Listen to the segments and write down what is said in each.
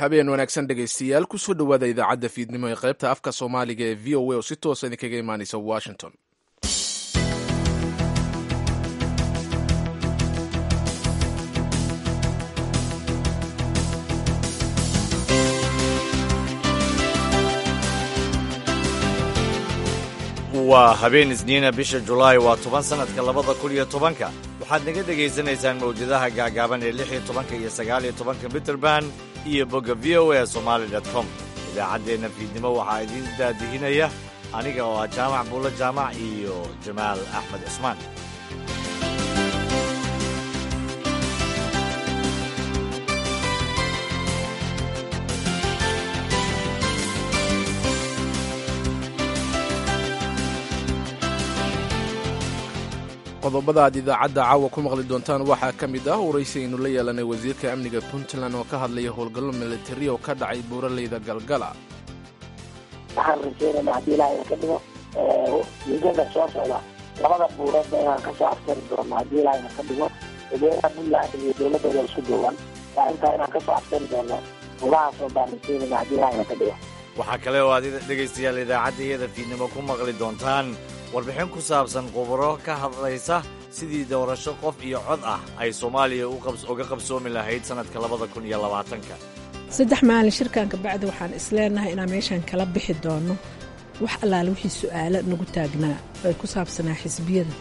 Habeen wanaagsan, dhegaystayaal. Kusoo dhowaada idaacadda fiidnimo ee qaybta afka Soomaaliga ee VOA oo si toosa idinkaga imaanaysa Washington. Waa habeen Isniina, bisha Julaay waa 10, sanadka 2010-ka. Waxaad naga dhegaysanaysaan mawjadaha gaagaaban ee 16-ka iyo 19-ka mitrband iyo bogga VOA Somali com. Idaacaddeenna fiidnimo waxaa idiin daadihinaya aniga oo ah Jaamac Buulo Jaamac iyo Jamaal Axmed Cusmaan. Qodobada aad idaacadda caawa ku maqli doontaan waxaa ka mid ah waraysi aynu la yeelanay wasiirka amniga Puntland oo ka hadlaya howlgallo militari oo ka dhacay buuraleyda Galgala. Waxaan rajeynayna, haddii Ilaahay ka dhigo, muddada soo socda labada buureedba inaan kasoo afjari doono, haddii Ilaahayna ka dhigo. Dadweynaha Puntland iyo dowladooda isku duuban waa intaa inaan kasoo afjari doono buurahaasoo baan rajeynayna, haddii Ilaahayna ka dhigo. Waxaa kale oo aad, dhegaystayaal, idaacadda iyada fiidnimo ku maqli doontaan warbixin ku saabsan khubaro ka hadlaysa sidii doorasho qof iyo cod ah ay Soomaaliya uga qabsoomi lahayd sannadka 2020-ka. 3 maalin shirkan kabacdi waxaan isleenahay inaan meeshaan kala bixi doono wax allaale wixii su'aalo nagu taagnaa ay ku saabsanaa xisbiyada,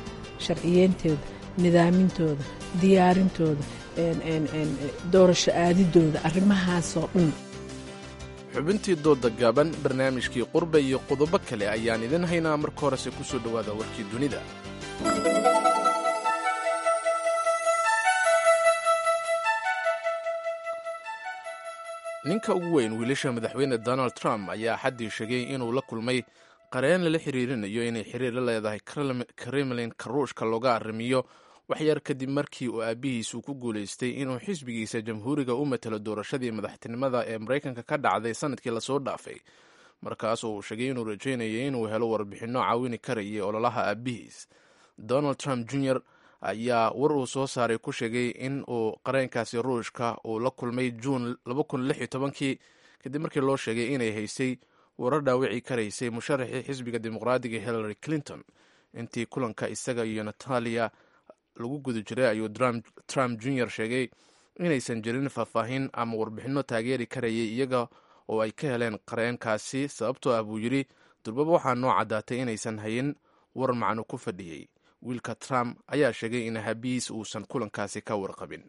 sharciyeentooda, nidaamintooda, diyaarintooda, doorasho aadidooda, arrimahaasoo dhan. Xubintii dooda gaaban, barnaamijkii qurbe iyo qodobo kale ayaan idin haynaa. Marka horese ku soo dhowaada warkii dunida. Ninka ugu weyn wiilasha madaxweyne Donald Trump ayaa xaddii sheegay inuu la kulmay qareen lala xiriirinayo inay xiriir la leedahay Kremlin-ka Ruushka looga arrimiyo, waxyar kadib markii uu aabbihiisu ku guulaystay inuu xisbigiisa Jamhuuriga u matalo doorashadii madaxtinimada ee Maraykanka ka dhacday sanadkii lasoo dhaafay, markaas oo uu sheegay inuu rajaynayay inuu helo warbixinno caawini karayay ololaha aabbihiis. Donald Trump Jr ayaa war uu soo saaray ku sheegay in uu qareenkaasi Ruushka uu la kulmay Juun kii, kadib markii loo sheegay inay haysay warar dhaawici karaysay musharaxii xisbiga Dimuqraadiga Hillary Clinton. Intii kulanka isaga iyo Natalia lagu guda jiray ayuu Trump Jr sheegay inaysan jirin faahfaahin ama warbixinno taageeri karayay iyaga oo ay ka heleen qareenkaasi, sababtoo ah, buu yidhi, durbaba waxaa noo caddaatay inaysan hayin war macno ku fadhiyey. Wiilka Trump ayaa sheegay in habiis uusan kulankaasi ka warqabin.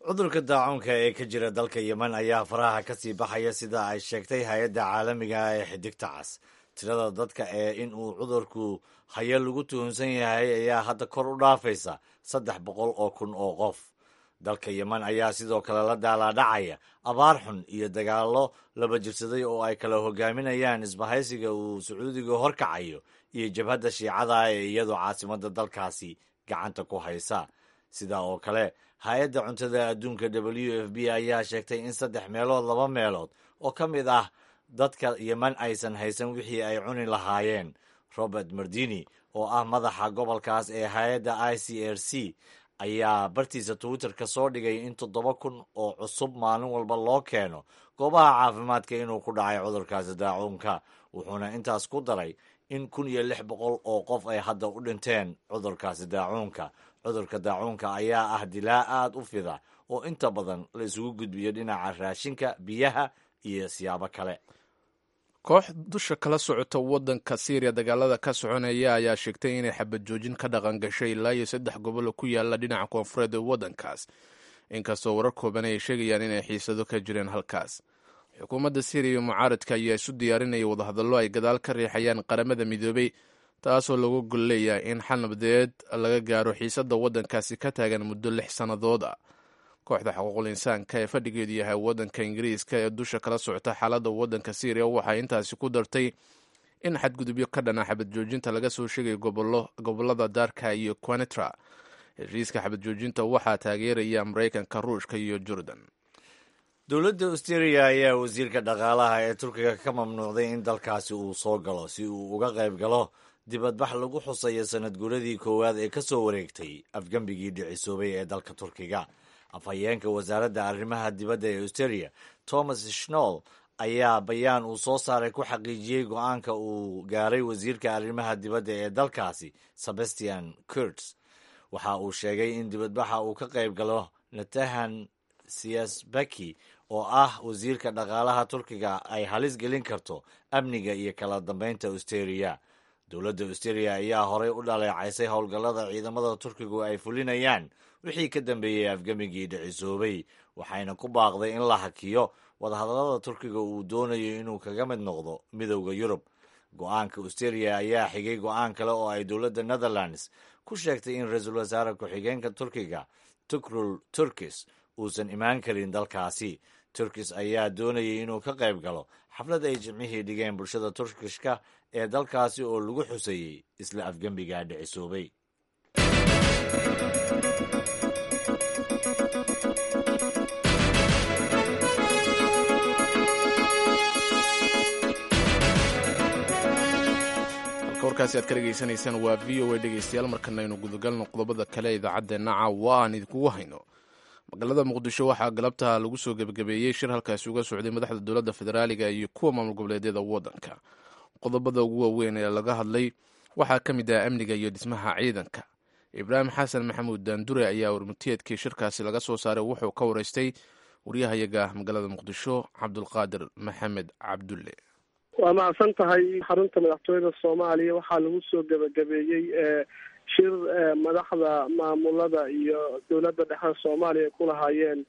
Cudurka daacuunka ee ka jira dalka Yemen ayaa faraha ka sii baxaya, sida ay sheegtay hay-adda caalamiga ah ee Xidigta Cas. Tirada dadka ee in uu cudurku hayo lagu tuhunsan yahay ayaa hadda kor u dhaafaysa 300,000 oo qof. Dalka Yemen ayaa sidoo kale la daalaadhacaya abaar xun iyo dagaallo laba jirsaday oo ay kala hogaaminayaan isbahaysiga uu Sacuudiga horkacayo iyo jabhadda Shiicada ee iyadoo caasimadda dalkaasi gacanta ku haysa. Sidaa oo kale, hay-adda cuntada adduunka WFP ayaa sheegtay in saddex meelood laba meelood oo ka mid ah dadka Yemen aysan haysan wixii ay cuni lahaayeen. Robert Mardini oo ah madaxa gobolkaas ee hay-adda ICRC ayaa bartiisa Twitter-ka soo dhigay in 7000 oo cusub maalin walba loo keeno goobaha caafimaadka inuu ku dhacay cudurkaasi daacuunka, wuxuuna intaas ku daray in 1600 oo qof ay hadda u dhinteen cudurkaasi daacuunka. Cudurka daacuunka ayaa ah dilaa aad u fida oo inta badan la isugu gudbiyo dhinaca raashinka, biyaha iyo siyaabo kale. Koox dusha kala socota waddanka Syriya dagaalada ka soconaya ayaa sheegtay inay xabad joojin ka dhaqan gashay ilaa iyo saddex gobol oo ku yaala dhinaca koonfureed ee waddankaas, inkastoo warar kooban ay sheegayaan inay xiisado ka jireen halkaas. Xukuumadda Syriya iyo mucaaradka ayaa isu diyaarinaya wadahadallo ay gadaal ka riixayaan Qaramada Midoobay, taasoo lagu gol leeyahay in xal nabadeed laga gaaro xiisadda waddankaasi ka taagan muddo 6 sannadood ah. Kooxda xuquuqul insaanka ee fadhigeedu yahay waddanka Ingiriiska ee dusha kala socota xaaladda waddanka Syriya waxay intaasi ku dartay in xadgudubyo ka dhana xabad joojinta laga soo sheegay gobollada Darka iyo Quneitra. Heshiiska xabad joojinta waxaa taageeraya Maraykanka, Ruushka iyo Jordan. Dowladda Australia ayaa wasiirka dhaqaalaha ee Turkiga ka mamnuucday in dalkaasi uu soo galo si uu uga qayb galo dibadbax lagu xusayo sanad guuradii koowaad ee ka soo wareegtay afgembigii dhicisoobay ee dalka Turkiga. Afhayeenka wasaaradda arrimaha dibadda ee Australia, Thomas Schnoll, ayaa bayaan uu soo saaray ku xaqiijiyey go-aanka uu gaaray wasiirka arrimaha dibadda ee dalkaasi, Sebastian Kurtz. Waxa uu sheegay in dibadbaxa uu ka qayb galo Natahan Siyasbaki, oo ah wasiirka dhaqaalaha Turkiga, ay halis gelin karto amniga iyo kala dambeynta Australia. Dowladda Australia ayaa horey u dhaleecaysay howlgallada ciidamada Turkigu ay fulinayaan wixii ka dambeeyey afgemigii dhicisoobay, waxayna ku baaqday in la hakiyo wadahadallada Turkiga uu doonayo inuu kaga mid noqdo Midowda Yurub. Go-aanka Australia ayaa xigay go-aan kale oo ay dowladda Netherlands ku sheegtay in ra-iisul wasaare ku-xigeenka Turkiga, Tukrul Turkis, uusan imaan karin dalkaasi. Turkis ayaa doonayay inuu ka qayb galo xaflad ay Jimcihii dhigeen bulshada Turkishka ee dalkaasi oo lagu xuseeyey isla afgembiga dhicisoobay. Halka warkaasi aad ka dhegaysanaysaan waa VOA. Dhegeystayaal, markana aynu gudagalno qodobada kale ee idaacaddeenna caawa aan idinkugu hayno. Magaalada Muqdisho waxaa galabta lagu soo gebagabeeyey shir halkaasi uga socday madaxda dowladda federaaliga iyo kuwa maamul goboleedyada waddanka. Qodobada ugu waaweyn ee laga hadlay waxaa ka mid ah amniga iyo dhismaha ciidanka. Ibraahim Xasan Maxamuud Daandure ayaa warmutiyeedkii shirkaasi laga soo saaray wuxuu ka wareystay waryahayaga magaalada Muqdisho, Cabdulqaadir Maxamed Cabdulle. Waa mahadsan tahay. Xarunta madaxtooyada Soomaaliya waxaa lagu soo gebagabeeyey shir madaxda maamulada iyo dowladda dhexe Soomaaliya ku lahaayeen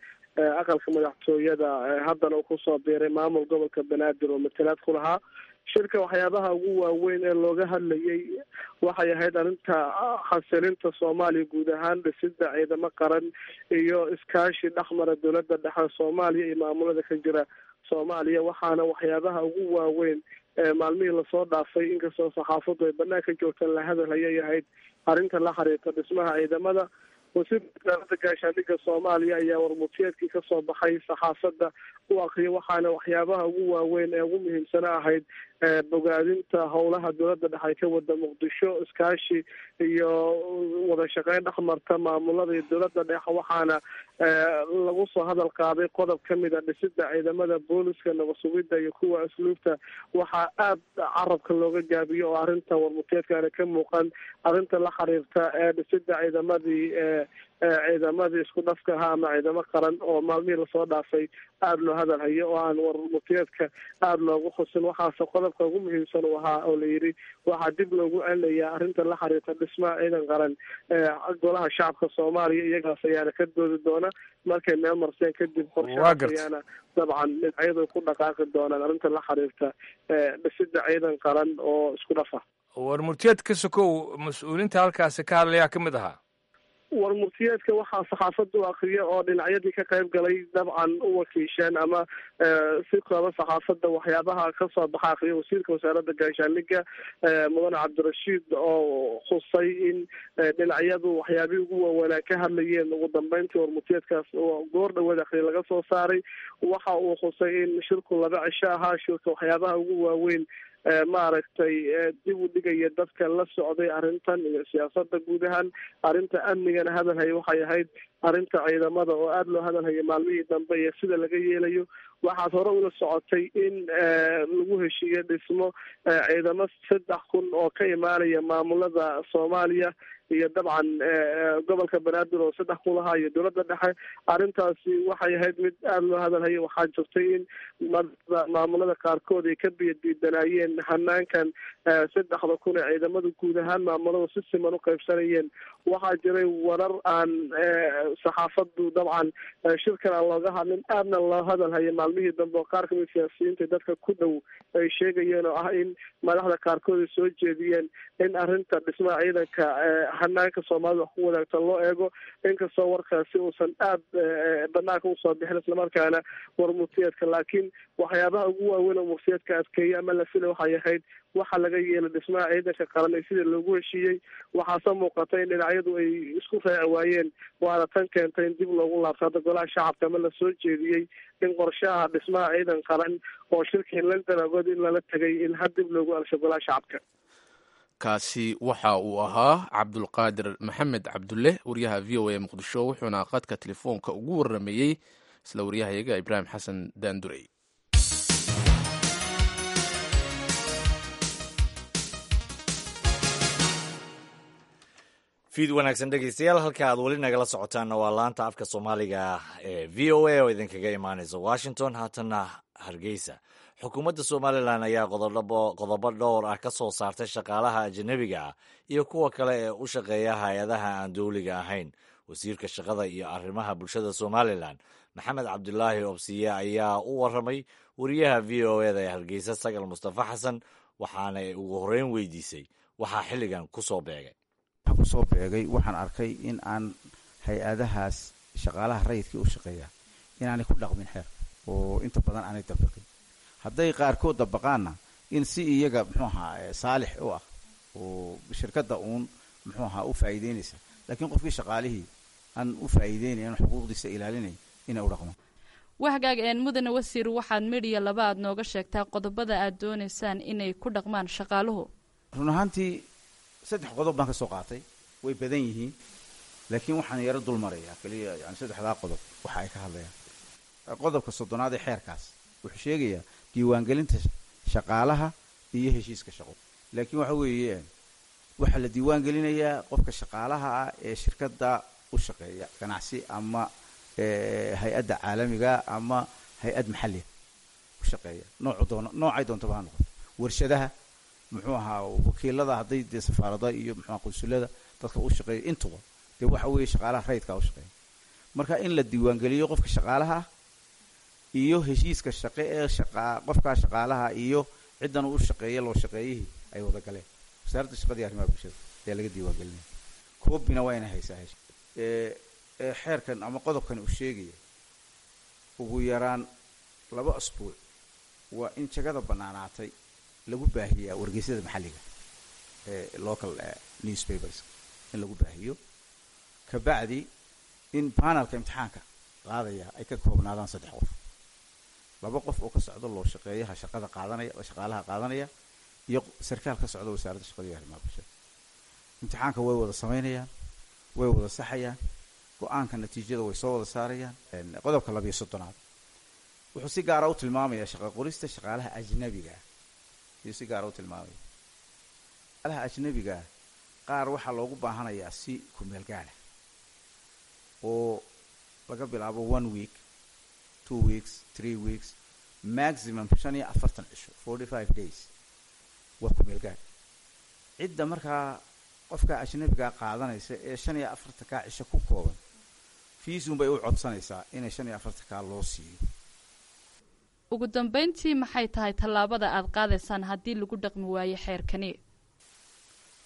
aqalka madaxtooyada. Haddana uu kusoo biiray maamul gobolka Banaadir oo matalaad ku lahaa shirka. Waxyaabaha ugu waaweyn ee looga hadlayay waxay ahayd arrinta xasilinta Soomaaliya guud ahaan, dhisida ciidamo qaran iyo iskaashi dhexmara dowladda dhexe Soomaaliya iyo maamulada ka jira Soomaaliya. Waxaana waxyaabaha ugu waaweyn maalmihii lasoo dhaafay, inkastoo saxaafaddu ay banaanka joogtaan, la hadal ayay ahayd arrinta la xiriirta dhismaha ciidamada. Wasiirka wasaaradda gaashaandhigga Soomaaliya ayaa warmutiyeedkii kasoo baxay saxaafadda u akriyay, waxaana waxyaabaha ugu waaweyn ee ugu muhiimsana ahayd bogaadinta howlaha dowladda dhexe ay ka wada Muqdisho, iskaashi iyo wada shaqeyn dhexmarta maamulada iyo dowladda dhexe. Waxaana lagu soo hadal qaaday qodob ka mid a dhisida ciidamada booliska, nabad sugidda iyo kuwa asluubta. Waxaa aada carabka looga gaabiyo oo arrinta warmutiyeedkaana ka muuqan arrinta la xiriirta ee dhisida ciidamadii isku dhafka ahaa ama ciidamo qaran oo maalmihii lasoo dhaafay aada loo hadal hayo oo aan warmutiyeedka aada loogu xusin. Waxaase qodobka ugu muhiimsan uu ahaa oo la yidhi waxaa dib loogu celinayaa arrinta la xiriirta dhismaha ciidan qaran golaha shacabka Soomaaliya, iyagaas ayaana ka doodi doona markay meel marseen kadib. Qorshahaas ayaana dabcan dhinacyadu ku dhaqaaqi doonaan arrinta la xiriirta dhisida ciidan qaran oo isku dhafa. Warmurtiyeed ka sokow, mas-uuliinta halkaasi ka hadlayaa ka mid ahaa? Warmurtiyeedka waxaa saxaafadda u akriya oo dhinacyadii ka qayb galay dabcan u wakiisheen ama si kooba saxaafadda waxyaabaha kasoo baxa akriya wasiirka wasaaradda gaashaandhigga, mudane Cabdirashiid, oo xusay in dhinacyadu waxyaabihii ugu waaweynaa ka hadlayeen ugu dambeyntii warmurtiyeedkaas oo goor dhaweed akriya laga soo saaray. Waxa uu xusay in shirku 2 cisho ahaa. Shirka waxyaabaha ugu waaweyn maaragtay dib u dhigaya dadka la socday arrintan iyo siyaasada guud ahaan arrinta amnigana hadal haya waxay ahayd arrinta ciidamada oo aada loo hadal hayay maalmihii dambe iyo sida laga yeelayo. Waxaad hore ula socotay in lagu heshiiye dhismo ciidamo 3000 oo ka imaanaya maamulada Soomaaliya iyo dabcan gobolka Banaadir oo 3000 ahaa iyo dowladda dhexe. Arrintaasi waxay ahayd mid aada loo hadal hayay. Waxaa jirtay in maamulada qaarkood ay ka biyadiidanaayeen hanaankan 3000 ee ciidamada guud ahaan maamulada si siman u qaybsanayeen. Waxaa jiray warar aan saxaafaddu dabcan shirkan aan looga hadlin, aadna loo hadal hayay maalmihii dambe, oo qaar kamid siyaasiyiinta dadka ku dhow ay sheegayeen oo ah in madaxda qaarkood ay soo jeediyeen in arrinta dhismaha ciidanka hanaanka Soomaalida wax ku wadaagta loo eego, inkastoo warkaasi uusan aada banaanka usoo bixin islamarkaana warmurtiyeedka. Laakiin waxyaabaha ugu waaweyn oo murtiyeedka adkeeyay ama la filay waxay ahayd waxa laga yeelay dhismaha ciidanka qaran ee sidii loogu heshiiyey. Waxaase muuqata in dhinacyadu ay isku raaci waayeen, waana tan keentay in dib loogu laabto hadda golaha shacabka ama lasoo jeediyey in qorshaha dhismaha ciidan qaran oo shirkii London agood in lala tegay in had dib loogu alsho golaha shacabka. Kaasi waxa uu ahaa Cabdulqaadir Maxamed Cabdulle, wariyaha VOA Muqdisho, wuxuuna qadka telefoonka ugu waramayey isla waryahayaga Ibraahim Xasan Daandurey. Fiid wanaagsan, dhegeystayaal. Halka aad weli nagala socotaanna waa laanta afka Soomaaliga ee VOA oo idinkaga imaaneysa Washington. Haatanna Hargeysa. Xukuumadda Somalilan ayaa qodobo dhowr ah ka soo saartay shaqaalaha ajanabiga ah iyo kuwa kale ee u shaqeeya hay-adaha aan dowliga ahayn. Wasiirka shaqada iyo arrimaha bulshada Somalilan, Maxamed Cabdulaahi Obsiye, ayaa u waramay wariyaha VOA da ee Hargeysa, Sagal Mustafa Xasan, waxaana ay ugu horreyn weydiisay waxaa xilligan ku soo beegay. Kusoo beegay, waxaan arkay in aan hay-adahaas shaqaalaha rayidkii u shaqeeya inaanay ku dhaqmin xeerka oo inta badan aanay dabiqin. Hadday qaarkood dabaqaanna, in si iyaga, muxuu ahaa, saalix u ah oo shirkadda uun, muxuu ahaa, u faa'iideynaysa, laakiin qofkii shaqaalihii aan u faa'iideynayn, xuquuqdiisa ilaalinay, inay u dhaqmaan. Wahagaag een, mudane wasiir, waxaad midhiya laba aad nooga sheegtaa qodobada aad doonaysaan inay ku dhaqmaan shaqaaluhu. Run ahaantii saddex qodob baan ka soo qaatay. Way badan yihiin, laakiin waxaan yaro dul marayaa keliya yani saddexdaa qodob waxa ay ka hadlayaan. Qodobka 30aad ee xeerkaas wuxuu sheegayaa diiwaangelinta shaqaalaha iyo heshiiska shaqo. Laakiin waxa weeye, waxaa la diiwaan gelinayaa qofka shaqaalaha ah ee shirkadda u shaqeeya, ganacsi ama hay-adda caalamiga ama hay-ad maxalliga u shaqeeya, noocu doono, noocay doontaba ha noqoto, warshadaha, muxuu ahaa, wakiilada, hadday dee safaarada iyo, muxuu, qunsulada dadka u shaqeeya, intuba dee waxa weeye shaqaalaha rayidkaa u shaqeeya. Marka in la diiwaangeliyo qofka shaqaalaha ah iyo heshiiska shaqe ee shaqa qofkaa shaqaalaha iyo ciddan u shaqeeya, loo shaqeeyihii, ay wada galeen Wasaaradda Shaqada iyo Arrimaha Bulshada ayaa laga diiwaangelinaya. Koobina waa inay haysaa heshiis ee xeerkan ama qodobkan uu sheegaya. Ugu yaraan 2 asbuuc waa in jagada bannaanaatay lagu baahiyaa wargeysyada maxalliga ee local newspapers in lagu baahiyo. Kabacdi in panelka imtixaanka qaadaya ay ka koobnaadaan saddex qof: laba qof oo ka socda loo shaqeeyaha shaqada qaadanaya, shaqaalaha qaadanaya, iyo sarkaal ka socda Wasaaradda Shaqada iyo Arrimaha Bulshada. Imtixaanka way wada samaynayaan, way wada saxayaan, go-aanka natiijada way soo wada saarayaan. Qodobka 32aad wuxuu si gaara u tilmaamayaa shaqa qorista shaqaalaha ajnabiga ah. Ayuu si gaara u tilmaamaya. Shaqaalaha ajnabiga ah qaar waxaa loogu baahanayaa si kumeel gaara oo laga bilaabo one week, 2 weeks, 3 weeks, maximum 45 cisho, 45 days, waa kumeel gaar. Cidda markaa qofka ajnabigaa qaadanaysa ee 45-kaa cisho ku kooban, fiisun bay u codsanaysaa inay 45-kaa loo siiyo. Ugu dambayntii, maxay tahay tallaabada aad qaadaysaan haddii lagu dhaqmi waayo xeerkani?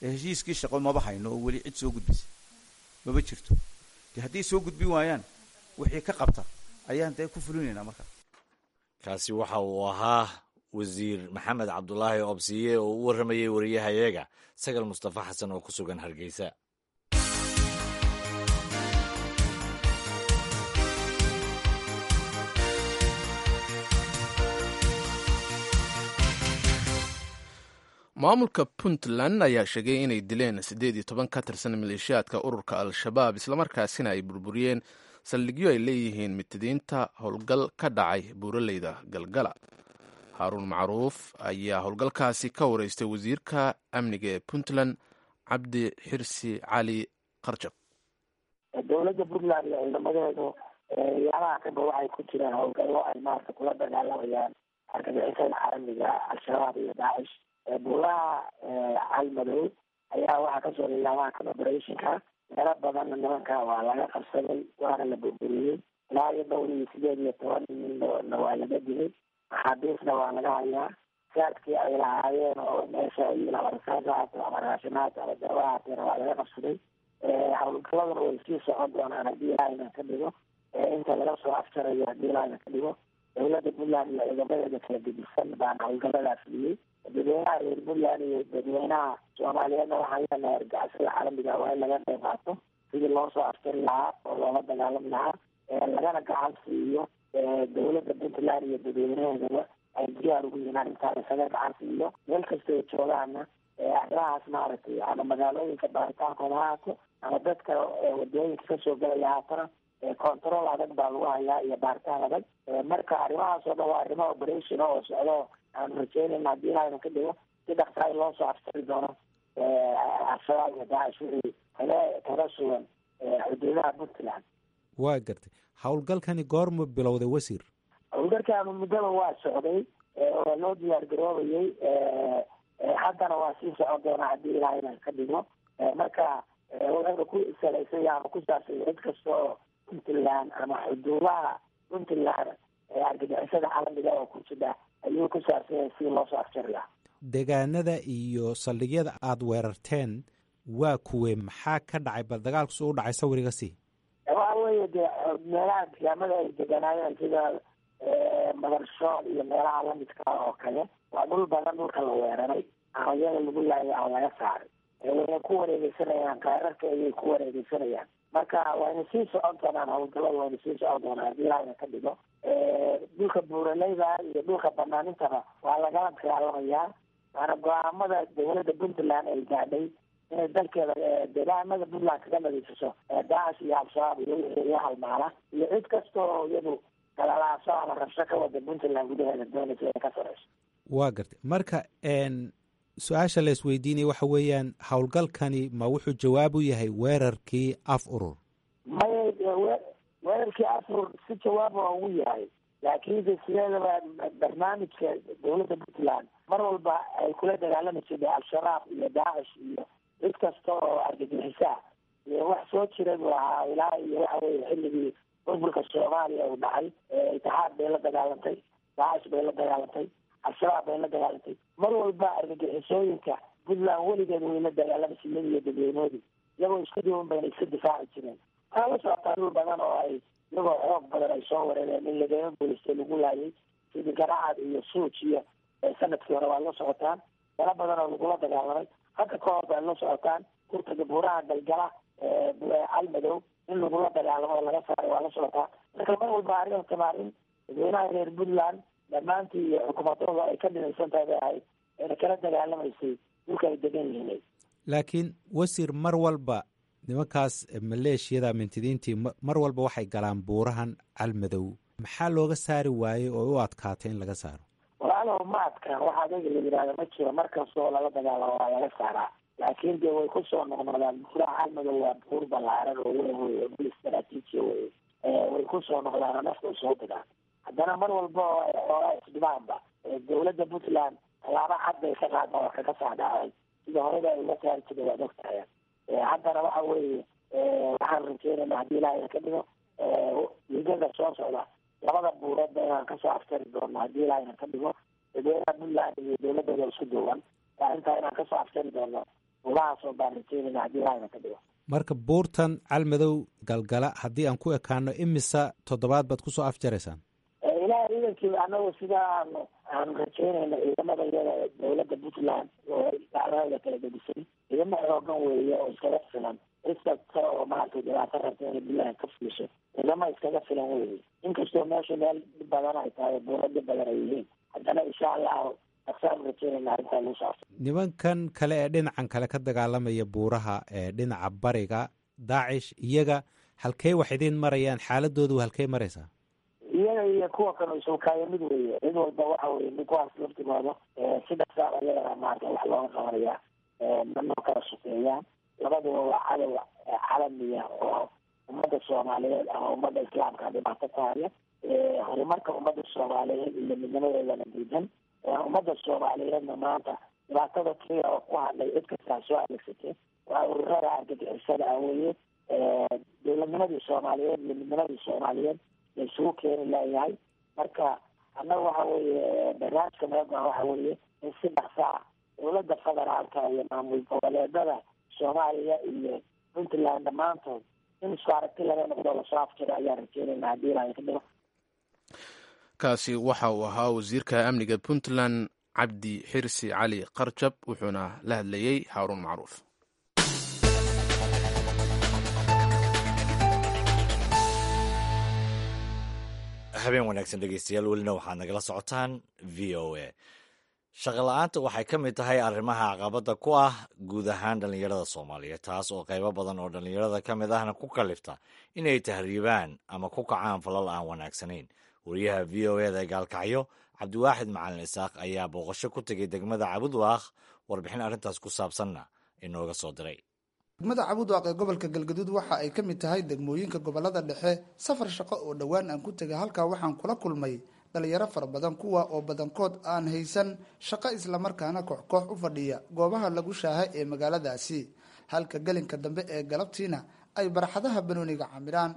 Heshiiskii shaqo maba hayno oo weli cid soo gudbisa maba jirto. Dee haddii soo gudbin waayaan, wixii ka qabta ayaan dee ku fulinaynaa markaa. Kaasi waxa uu ahaa Wasiir Maxamed Cabdulaahi Obsiye oo u warramayey wariyahayaga Sagal Mustafa Xasan oo ku sugan Hargeysa. Maamulka Puntland ayaa sheegay inay dileen 18 ka tirsan maleeshiyaadka ururka Al-Shabaab, islamarkaasina ay burburiyeen saldhigyo ay leeyihiin mitidiinta, howlgal ka dhacay buuraleyda Galgala. Haaruun Macruuf ayaa howlgalkaasi ka wareystay wasiirka amniga ee Puntland, Cabdi Xirsi Cali Qarjab. Dowladda Puntland iyo ciidamadeedu yaalaha kaba waxay ku jiraan howlgallo ay maarata kula dagaalamayaan argagixisada caalamiga, Al-Shabaab iyo Daacish. Buuraha Calmadow ayaa waxaa kasoo lilaabaha kan operationka. Meelo badanna nimanka waa laga qabsaday, waana la burburiyey. Ilaa iyo dhowr iyo 18 ninna waa laga dilay, maxaabiisna waa laga hayaa. Saadkii ay lahaayeen oo meesha rasaas haato ama raashinaat ama daawo haateena waa laga qabsaday. Howlgaladuna way sii socon doonaan haddii Ilaahayna ka dhigo, inta laga soo afjarayo haddii Ilaahayna ka dhigo. Dowladda Puntland iyo ciidamadeeda kala gedisan baana howlgaladaa fuliyey. Dadweynaha reer Puntland iyo dadweynaha Soomaaliyeedna waxaan leenahay, argagixisada caalamiga waa in laga qayb qaato sidii loo soo afjari lahaa oo loola dagaalami lahaa, lagana gacan siiyo. Dowladda Puntland iyo dadweynaheedaba ay diyaar ugu yihiin arrintaa, isaga gacan siiyo meel kasta oo joogaana. Arrimahaas maaragtay ama magaalooyinka baaritaankooda ha haato ama dadka wadooyinka kasoo gelaya haatana, control adag baa lagu hayaa iyo baaritaan adag. Marka arrimahaas oo dhan waa arrimo operation oo socdo. Aanu rajeynayna haddii Ilaahayna ka dhigo si dhaqsaa in loo soo afsari doono Al-Shabaab iyo Daacish wixii kaga sugan xuduudaha Puntland. Waa gartay. Howlgalkani goormuu bilowday, wasiir? Howlgalkaanu muddaba waa socday oo loo diyaar garoobayay, haddana waa sii socon doonaa haddii Ilaahayna ka dhigo. Marka wuxuuna ku salaysanya ama ku saabsanya cid kasta oo Puntland ama xuduudaha Puntland argagixisada caalamiga oo ku jidha ayuu ku saabsanyay sidii loo soo afjari lahaa. Deegaanada iyo saldhigyada aada weerarteen waa kuwe? Maxaa ka dhacay? Bal dagaalku su u dhacay sawiriga sii. Waxa weeye dee meelaha deegaamada ay deganaayeen sida Madarshool iyo meelaha lamidka oo kale, waa dhul badan dhulka la weeraray ama iyada lagu laayay ama laga saaray. Wayna ku wareegeysanayaan, kaararka ayay ku wareegeysanayaan. Marka wayna sii socon doonaan howlgallada, wayna sii socon doonaan haddii Ilaahayna ka dhigo. Dhulka buuraleyda iyo dhulka banaanintaba waa lagala dagaalamayaa, waana go-aamada dowladda Puntland ay gaadhay inay dalkeeda deegaamada Puntland kaga nadiifiso Daacish iyo Al-Shabaab iyo wixii la halmaala iyo cid kasta oo iyadu galalaaso ama rabsho ka wada Puntland gudaheeda doonaysa inay ka sareyso. Waa gartay. Marka su-aasha la isweydiinaya waxa weeyaan, howlgalkani ma wuxuu jawaab u yahay weerarkii Af Urur? Maya, weerarkii Af Urur si jawaab waa ugu yahay, laakiinse sideedaba barnaamijka dowladda Puntland mar walba ay kula dagaalami jirtay Al-Shabaab iyo Daacish iyo cid kasta oo argagixisaa iyo wax soo jiray buu ahaa ilaa iyo waxa weye xilligii burburka Soomaaliya uu dhacay. Itixaad bay la dagaalantay, Daacish bay la dagaalantay, Al-Shabaab bay la dagaalantay. Mar walba argagixisooyinka Puntland weligeed way la dagaalamaysa, iyada iyo dadweynoodii iyagoo isku duwan bayna iska difaaci jireen. Waxaa la socotaa dhul badan oo ay iyagoo xoog badan ay soo wareereen in lagama guulaystay, lagu laayay, sidii Garacad iyo Suuj iyo sanadkii hore waa la socotaan, meelo badan oo lagula dagaalamay hadda ka hor baa la socotaan. Kurtaga buuraha Galgala, Calmadow in lagula dagaalamo oo laga saaray waa la socotaa. Marka mar walba arrintan arrin dadweynaha reer Puntland dhammaantii iyo xukuumadooda ay ka dhinaysan tahay bay ahayd, ayna kala dagaalamaysay dhulka ay degan yihiin. Laakiin wasiir, mar walba nimankaas maleeshiyada mintidiintii mar walba waxay galaan buurahan Calmadow. Maxaa looga saari waayey oo u adkaatay in laga saaro? Walaalow, ma adkaan. Waxa adayga la yidhahda ma jiro. Mar kastoo lala dagaalamo waa laga saaraa, laakiin dee way kusoo noqnoqdaan. Buuraha Calmadow waa buur ballaaran oo weyn wey, bul istaraatiijiya wey. Way kusoo noqdaan oo nafta usoo digaan. Haddana mar walba oo ay xoolaa isdhibaanba, dowladda Puntland tallaabo cad bay ka qaada oo kaga saadhacay sida horeba ay uga saari jirta, waad ogtahay. Haddana waxa weeye waxaan rajeynayna haddii Ilaahayna ka dhigo wiigada soo socda labada buureedba inaan kasoo afjari doono haddii Ilaahayna ka dhigo. Dadweynaha Puntland iyo dowladooda isku duuban arrintaa inaan kasoo afjari doono buurahaasoo baan rajeynayna haddii Ilaahayna ka dhigo. Marka buurtan Calmadow Galgala haddii aan ku ekaano, imisa toddobaad baad kusoo afjaraysaan? Ilahay ciidankii, anagu sida aanu rajeynayno, ciidamada iyada dowladda Puntland oo dacdahooda kala gedisay, ciidamo xoogan weeye oo iskaga filan cid kasta oo maaragtay dhibaato rabta inay Puntland ka fuliso. Ciidamo iskaga filan weeye. Inkastoo meeshu meel dhib badan ay tahay, buuro dhib badan ay yihiin, haddana insha Allahu dhaqsaanu rajeynayna arrintaa lagu soo afjaro. Nimankan kale ee dhinacan kale ka dagaalamaya buuraha ee dhinaca bariga, Daacish, iyaga halkey wax idiin marayaan? Xaaladoodu halkey maraysaa? Iyaga iyo kuwa kale isuukaayo mid weeye. Cid walba waxa weye kuwaas laftigooda si dhaqsaa iyagana maarata wax looga qabanaya, manoo kala sukeeyaan. Labaduba waa cadow calamiya oo ummadda Soomaaliyeed ama ummadda Islaamka dhibaato ku haya, horumarka ummadda Soomaaliyeed iyo midnimadeedana diidan. Ummadda Soomaaliyeedna maanta dhibaatada keliya oo ku hadlay cid kastaa soo adeegsatee waa ururada argagixisada ah weeye. Dowladnimadii Soomaaliyeed iyo midnimadii Soomaaliyeed la isugu keeni laayahay. Marka annaga waxa weeye barnaamijka meegan waxa weeye in si dhaqsaa dowladda federaalka iyo maamul goboleedada Soomaaliya iyo Puntland dhammaantood in isku aragti laga noqdo lasoo afjiro ayaan rajeynayna haddii Ilaahay ka dhigo. Kaasi waxa uu ahaa wasiirka amniga Puntland Cabdi Xirsi Cali Qarjab, wuxuuna la hadlayey Haaruun Macruuf. Habeen wanaagsan dhegeystayaal, welina waxaad nagala socotaan VOA. Shaqola'aanta waxay ka mid tahay arrimaha caqabadda ku ah guud ahaan dhallinyarada Soomaaliyeed, taas oo qaybo badan oo dhallinyarada ka mid ahna ku kalifta inay tahriibaan ama ku kacaan falal aan wanaagsanayn. Wariyaha VOA-da Gaalkacyo, Cabdiwaaxid Macalin Isaaq, ayaa booqasho ku tegey degmada Cabudwaaq, warbixin arrintaas ku saabsanna inooga soo diray. Degmada Cabudwaaq ee gobolka Galgaduud waxa ay ka mid tahay degmooyinka gobolada dhexe. Safar shaqo oo dhowaan aan ku tegay halkaa waxaan kula kulmay dhalinyaro fara badan, kuwa oo badankood aan haysan shaqo, islamarkaana koox-koox u fadhiya goobaha lagu shaaha ee magaaladaasi, halka gelinka dambe ee galabtiina ay barxadaha banooniga camiraan.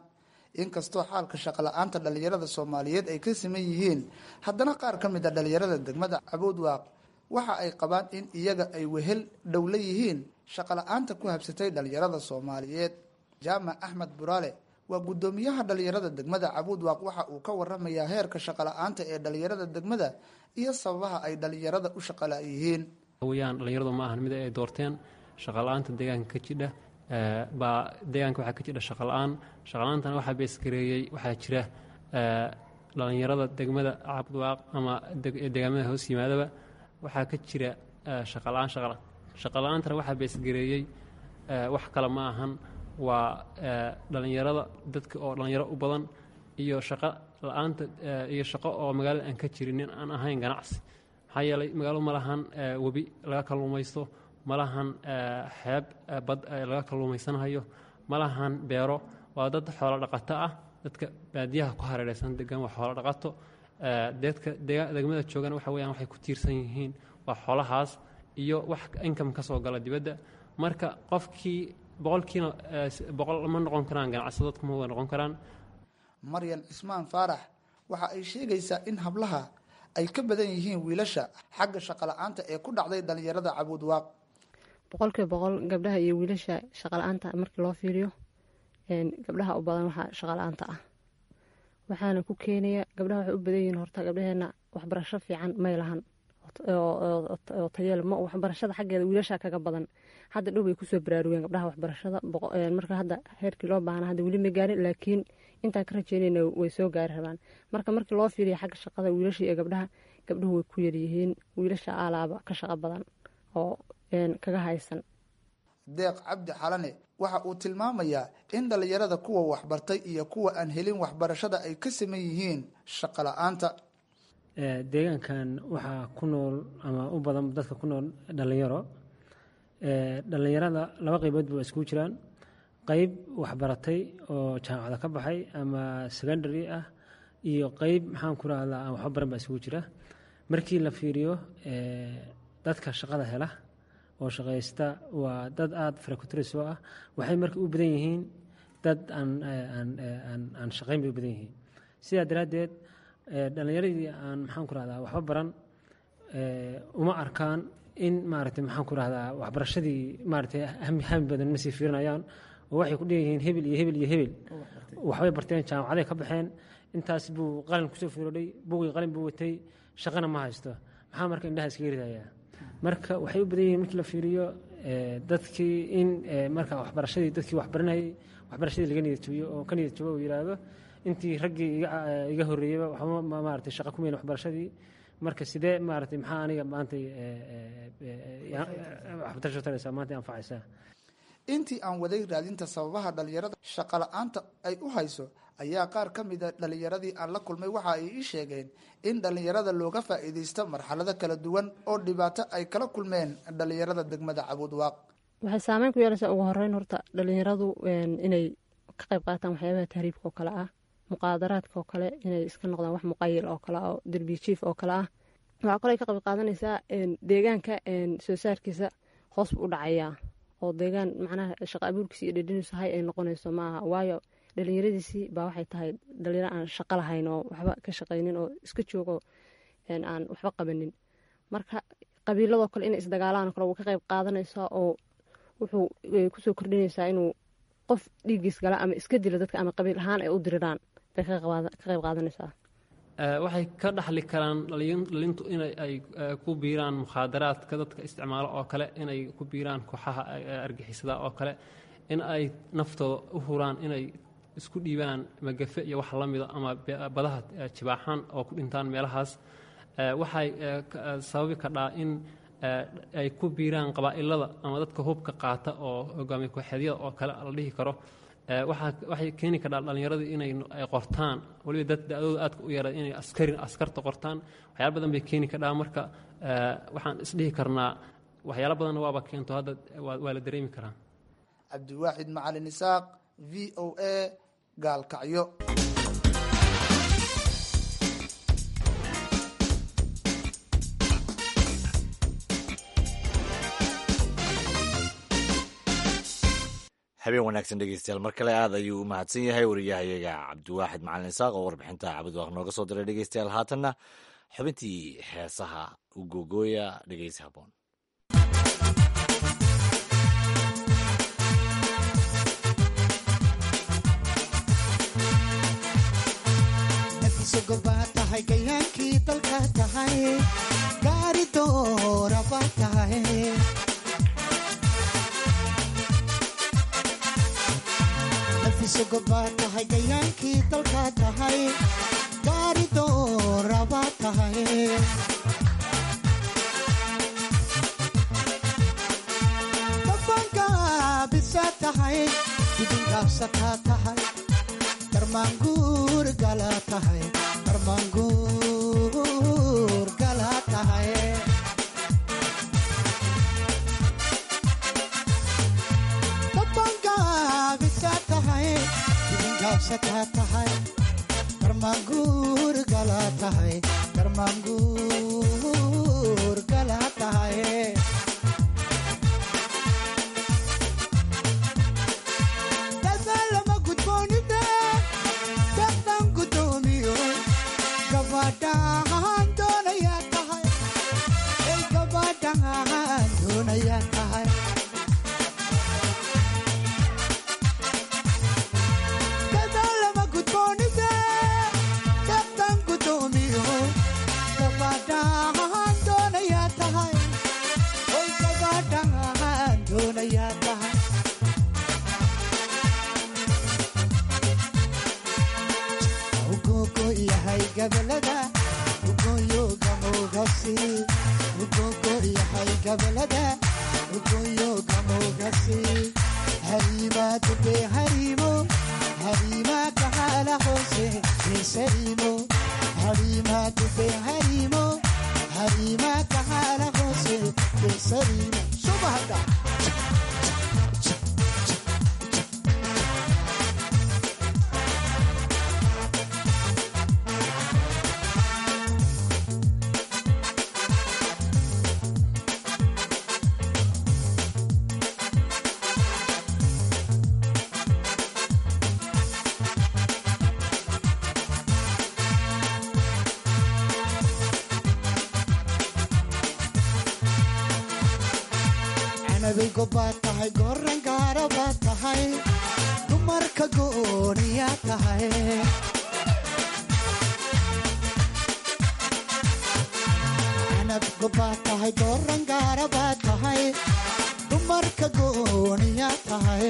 Inkastoo xaalka shaqo la-aanta dhalinyarada Soomaaliyeed ay ka siman yihiin, haddana qaar ka mid a dhalinyarada degmada Cabudwaaq waxa ay qabaan in iyaga ay wehel dhow la yihiin shaqo la-aanta ku habsatay dhalinyarada Soomaaliyeed. Jaamac Axmed Buraale waa guddoomiyaha dhalinyarada degmada Cabuudwaaq. Waxa uu ka waramayaa heerka shaqo la-aanta ee dhalinyarada degmada iyo sababaha ay dhalinyarada u shaqala yihiin. Weyaan dhalinyaradu ma ahan mid ay doorteen shaqala-aanta deegaanka ka jidha. Baa deegaanka waxaa ka jidha shaqala-aan. Shaqala-aantana waxaa beesgareeyey waxaa jira dhalinyarada degmada Cabudwaaq ama deegaamada hoos yimaadaba waxaa ka jira shaqala-aan. Shaqala-aantana waxaa beesgareeyey wax kale ma ahan, waa dhalinyarada, dadka oo dhalinyaro u badan iyo shaqo la-aanta iyo shaqo oo magaalada aan ka jirinin, aan ahayn ganacsi. Maxaa yeelay magaaladu ma lahan webi laga kalluumaysto, ma lahan xeeb bad laga kalluumaysanhayo, ma lahan beero. Waa dad xoolo dhaqato ah. Dadka baadiyaha ku hareereysan degan waa xoolo dhaqato. Dadka degmada joogan waxa weyaan waxay ku tiirsan yihiin waa xoolahaas iyo wax income ka soo gala dibadda. Marka qofkii boqolkiina boqol ma noqon karaan ganacsado, dadku ma wada noqon karaan. Maryan Cismaan Faarax waxa ay sheegaysaa in hablaha ay ka badan yihiin wiilasha xagga shaqo la-aanta ee ku dhacday dhalinyarada Cabuudwaaq. 100% gabdhaha iyo wiilasha shaqala-aanta markii loo fiiriyo, gabdhaha u badan waxaa shaqala-aanta ah. Waxaana ku keenaya gabdhaha waxay u badan yihiin, horta gabdhaheena waxbarasho fiican may lahan oo tayeel ma waxbarashada xaggeeda wiilasha kaga badan. Hadda dhow bay kusoo baraarugeen gabdhaha waxbarashada. Marka hadda heerkii loo baahna hadda weli ma gaarin, laakiin intaan ka rajeynayna way soo gaari rabaan. Marka markii loo fiiriya xagga shaqada wiilasha iyo gabdhaha, gabdhuhu way ku yaryihiin. Wiilasha alaaba ka shaqo badan oo kaga haysan. Deeq Cabdi Xalane waxa uu tilmaamayaa in dhalinyarada kuwa waxbartay iyo kuwa aan helin waxbarashada ay ka siman yihiin shaqo la-aanta. Deegaankan waxaa ku nool ama u badan dadka ku nool dhalinyaro. Dhalinyarada laba qaybood ba iskugu jiraan: qayb waxbaratay oo jaamacada ka baxay ama secondary ah, iyo qayb, maxaan ku rahdaa, aan waxba baran baa isugu jira. Markii la fiiriyo dadka shaqada hela oo shaqaysta, waa dad aada farakuturis oo ah. Waxay marka u badan yihiin dad aan shaqayn bay u badan yihiin. Sidaa daraaddeed dhalinyaradii aan, maxaan ku rahdaa, waxba baran uma arkaan in maaragtay, maxaan ku rahdaa, waxbarashadii maaragtay hami badan ma sii fiirinayaan, oo waxay ku dheeyihiin hebel iyo hebel iyo hebel waxbay barteen, jaamacaday ka baxeen, intaas buu qalin kusoo fiirodhay, buugii qalin buu watay, shaqana ma haysto, maxaa marka indhaha iskaga ridayaa? Marka waxay u badan yihiin markii la fiiriyo dadkii in marka waxbarashadii, dadkii waxbaranayay waxbarashadii laga niyad jabiyo oo ka niyad jabo uu yidhaahdo intii raggii iga horreeyeyba waxba maaragtay shaqo kumeyn waxbarashadii, marka sidee maaragtay maxaa aniga maanta waxbarasho taraysaa, maanta anfacaysaa? Intii aan waday raadinta sababaha dhalinyarada shaqo la-aanta ay u hayso, ayaa qaar ka mida dhalinyaradii aan la kulmay waxa ay ii sheegeen in dhalinyarada looga faa'iidaysto marxalado kala duwan oo dhibaato ay kala kulmeen dhalinyarada degmada Cabuudwaaq. Waxay saameyn ku yeelaysaa ugu horeyn horta dhalinyaradu inay ka qayb qaataan waxyaabaha tahriibka oo kale ah, muqaadaraadka oo kale, inay iska noqdaan wax muqayil oo kale ah oo derbi jiif oo kale ah. Waxaa kaloo ay ka qayb qaadanaysaa deegaanka soo saarkiisa hoos buu u dhacayaa, oo deegaan macnaha shaqo abuurkiisa iyo dhedhiniisu hay ay noqonayso maaha, waayo dhalinyaradiisii baa waxay tahay dhalinyaro aan shaqo lahayn oo waxba ka shaqaynin oo iska joogo, aan waxba qabanin. Marka qabiiladoo kale inay isdagaalaan oo kale wuu ka qayb qaadanaysaa, oo wuxuu kusoo kordhinaysaa inuu qof dhiiggiis gala ama iska dila dadka ama qabiil ahaan ay u diriraan bay ka qayb qaadanaysaa. Waxay ka dhaxli karaan dhalintu in ay ku biiraan mukhaadaraadka dadka isticmaalo oo kale, inay ku biiraan kooxaha argixisada oo kale, in ay naftooda u huraan, inay isku dhiibaan magafe iyo wax la mida, ama badaha jibaaxaan oo ku dhintaan meelahaas. Waxay sababi kardhaa in ay ku biiraan qabaa'ilada ama dadka hubka qaata oo hogaamiye ku-xeedyada oo kale la dhihi karo. Waxay keeni kardhaa dhallinyaradii inay ay qortaan, weliba dad da-dooda aadka u yara inay askarin askarta qortaan. Waxyaala badan bay keeni kardhaa. Marka waxaan isdhihi karnaa waxyaala badanna waaba keento hadda waa la dareemi karaa. Cabdiwaaxid Macalin Isaaq, VOA, Gaalkacyo. Habeen wanaagsan dhegeystayaal, mar kale aad ayuu u mahadsan yahay wariyahayaga Cabdiwaaxid Macalin Isaaq oo warbixinta Cabdiwaaq nooga soo diray. Dhegeystayaal, haatanna xubintii heesaha u googooya, dhegeysi haboon. Baa tahay gayaankii dalka tahay, gaari doora baa tahay. Nafisogo baa tahay, gayaankii dalka tahay, gaari doora baa tahay. Dabangaabisa tahay, dibingaabsataa tahay, darmaanguur gala tahay, darmaanguur gala tahay. Dabangaabisa tahay, dibingaabsataa tahay, darmaanguur gala tahay, darmaanguur gala tahay. Dadaalama gudboonide daqdan gudoomiyo gabadhaan doonayaa tahay, ey gabadhaan doonayaa tahay. Dadaalama gudboonide daqdan gudoomiyo gabadhaan doonayaa tahay, oy gabadhaan doonayaa tahay. Ugogo yahay gabalada ugoyo gamogasi, ugogo yahay gabalada ugoyo gamogasi. Harima dube harimo, harima kahala hoose besarimo. Harima dube harimo, harima kahala hoose besarimo. Subahada. Canabigo baa tahay, goran gaara baa tahay, dumarka gooniyaa tahay. Canabgo baa tahay, goran gaara baa tahay, dumarka gooniyaa tahay.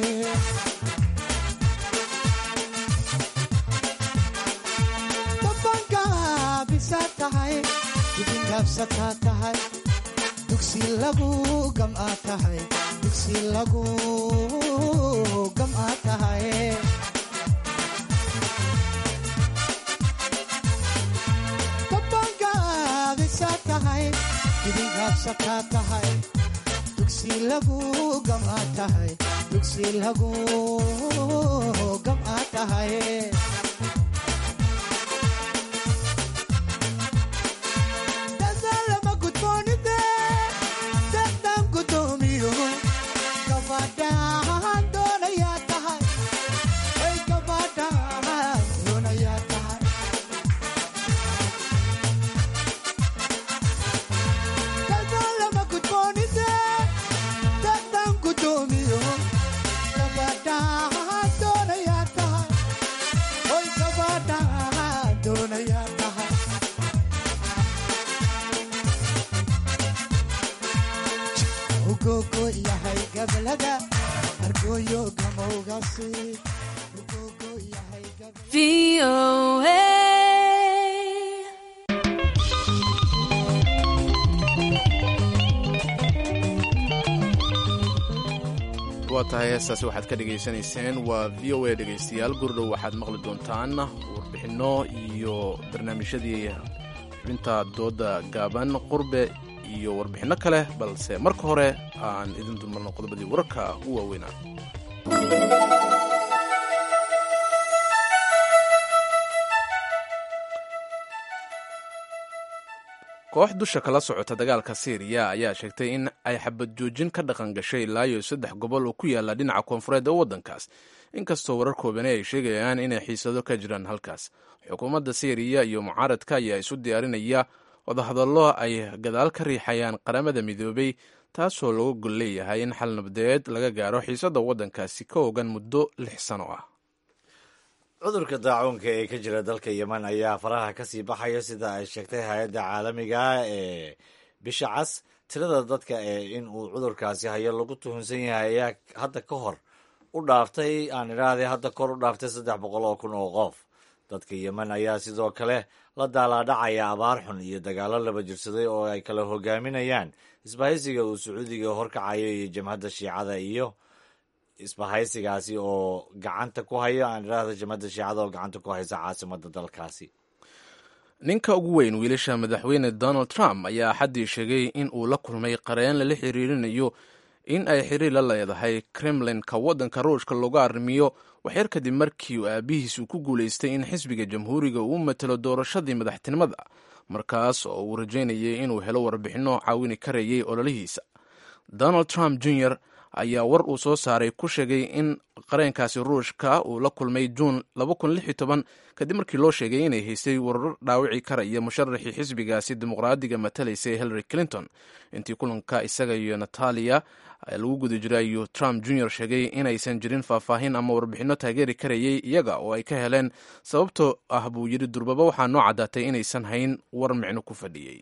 Dabangaabisa tahay, dibingaabsataa tahay, dugsi lagu gam'aa tahay, dugsi lagu gam'aa tahay. Dabangaabisa tahay, dibingaabsataa tahay, dugsi lagu gam'aa tahay, dugsi lagu gam'aa tahay. Dadaalama gudboonide daqdan gudoomiyo gabadhaan doonayaa tahay, ey gabadhaan doonayaa tahay. Dadaalama gudboonide daqdan gudoomiyo gabadhaan doonayaa tahay, oy gabadhaan doonayaa tahay. Ugogo yahay gabalada argooyo gamowgasi, ugogo yahay. VOA. Waa tahay, heestaasi waxaad ka dhegaysanayseen waa VOA. Dhegaystayaal, gurdhow waxaad maqli doontaan warbixinno iyo barnaamijyadii xubinta dooda gaaban, qurbe iyo warbixinno kale, balse marka hore aan idin dulmarno qodobadii wararka ugu waaweynaa. Koox dusha kala socota dagaalka Siiriya ayaa sheegtay in ay xabad joojin ka dhaqan gashay ilaa iyo saddex gobol oo ku yaala dhinaca koonfureed ee waddankaas, inkastoo warar koobani ay sheegayaan inay xiisado ka jiraan halkaas. Xukuumadda Siiriya iyo mucaaradka ayaa isu diyaarinaya wadahadallo ay gadaal ka riixayaan Qaramada Midoobay, taasoo looga gol leeyahay in xal nabadeed laga gaaro xiisadda waddankaasi ka ogan muddo 6 sano ah. Cudurka daacuunka ee ka jira dalka Yemen ayaa faraha ka sii baxaya, sida ay sheegtay hay-adda caalamiga ah ee Bisha Cas. Tirada dadka ee in uu cudurkaasi hayo lagu tuhunsan yahay ayaa hadda ka hor u dhaaftay, aan idhaahday, hadda kor u dhaaftay 300,000 oo qof. Dadka Yemen ayaa sidoo kale la daalaadhacaya abaar xun iyo dagaallo laba jirsaday oo ay kala hogaaminayaan isbahaysiga uu Sacuudiga horkacayo iyo jamhadda Shiicada, iyo isbahaysigaasi oo gacanta ku hayo, aan idhaahda, jamhadda Shiicada oo gacanta ku haysa caasimadda dalkaasi. Ninka ugu weyn wiilasha madaxweyne Donald Trump ayaa Axaddii sheegay in uu la kulmay qareen lala xiriirinayo in ay xiriir la leedahay Kremlinka waddanka Ruushka looga arrimiyo, waxyar kadib markii uu aabihiis uu ku guulaystay in xisbiga Jamhuuriga uu matalo doorashadii madaxtinimada, markaas oo uu rajaynayay inuu helo warbixinno caawini karayay ololihiisa. Donald Trump Jr ayaa war uu soo saaray ku sheegay in qareenkaasi Ruushka uu la kulmay Juun kadib markii loo sheegay inay haystay warar dhaawici karaya musharaxii xisbigaasi Dimuqraadiga matalaysay, Hillary Clinton. Intii kulanka isaga iyo Natalia lagu guda jiray ayuu Trump Jr sheegay inaysan jirin faahfaahin ama warbixinno taageeri karayay iyaga oo ay ka heleen, sababtoo ah, buu yidhi, durbaba waxaa noo caddaatay inaysan hayn war micno ku fadhiyey.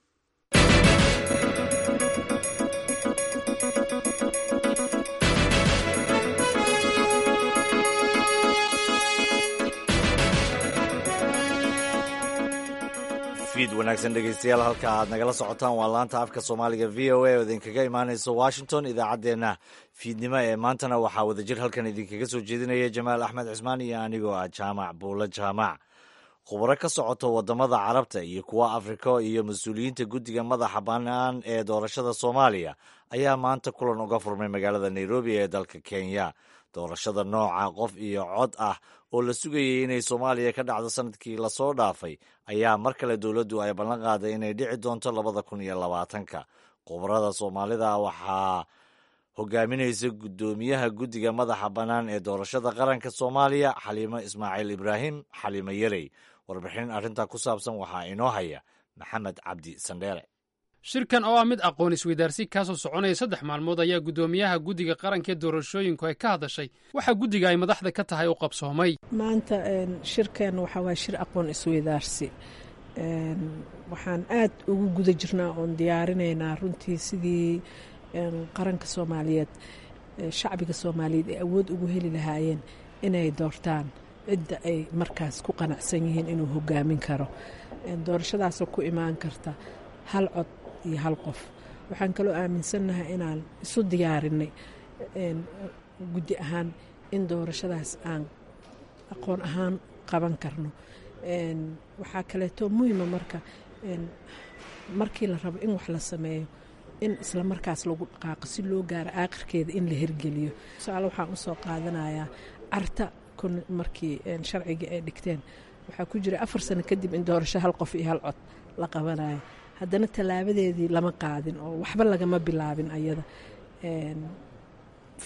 Fiid wanaagsan, dhegeystayaal. Halka aad nagala socotaan waa laanta afka Soomaaliga VOA oo idinkaga imaaneysa Washington. Idaacaddeenna fiidnimo ee maantana waxaa wadajir halkan idinkaga soo jeedinaya Jamaal Axmed Cismaan iyo anigoo ah Jaamac Buulo Jaamac. Khubaro ka socoto waddamada Carabta iyo kuwa Afrika iyo mas-uuliyiinta guddiga madaxa bannaan ee doorashada Soomaaliya ayaa maanta kulan uga furmay magaalada Nairobi ee dalka Kenya. Doorashada nooca qof iyo cod ah oo la sugayay inay Soomaaliya ka dhacdo sanadkii lasoo dhaafay ayaa mar kale dowladdu ay ballan qaaday inay dhici doonto 2020-ka. Khubarada Soomaalida waxaa hogaaminaysa guddoomiyaha guddiga madaxa bannaan ee doorashada qaranka Soomaaliya, Xaliimo Ismaaciil Ibraahim, Xaliimo Yarey. Warbixin arrintaa ku saabsan waxaa inoo haya Maxamed Cabdi Sandheere. Shirkan oo ah mid aqoon isweydaarsi kaasoo soconaya 3 maalmood ayaa guddoomiyaha guddiga qaranka ee doorashooyinku ay ka hadashay waxaa guddiga ay madaxda ka tahay u qabsoomay. Maanta shirkan waxaa waaya shir aqoon isweydaarsi. Waxaan aad ugu guda jirnaa oon diyaarinaynaa runtii sidii qaranka Soomaaliyeed, shacbiga Soomaaliyeed ay awood ugu heli lahaayeen inay doortaan cidda ay markaas ku qanacsan yihiin inuu hogaamin karo, doorashadaasoo ku imaan karta hal cod iyo hal qof. Waxaan kaloo aaminsannahay inaan isu diyaarinay guddi ahaan in doorashadaas aan aqoon ahaan qaban karno. Waxaa kaleeto muhima marka markii la rabo in wax la sameeyo in isla markaas lagu dhaqaaqo si loo gaaro aakhirkeeda in la hirgeliyo. Tusaale waxaan usoo qaadanayaa Carta markii sharcigii ay dhigteen waxaa ku jira 4 sano kadib in doorasho hal qof iyo hal cod la qabanayo. Haddana tallaabadeedii lama qaadin oo waxba lagama bilaabin. Ayada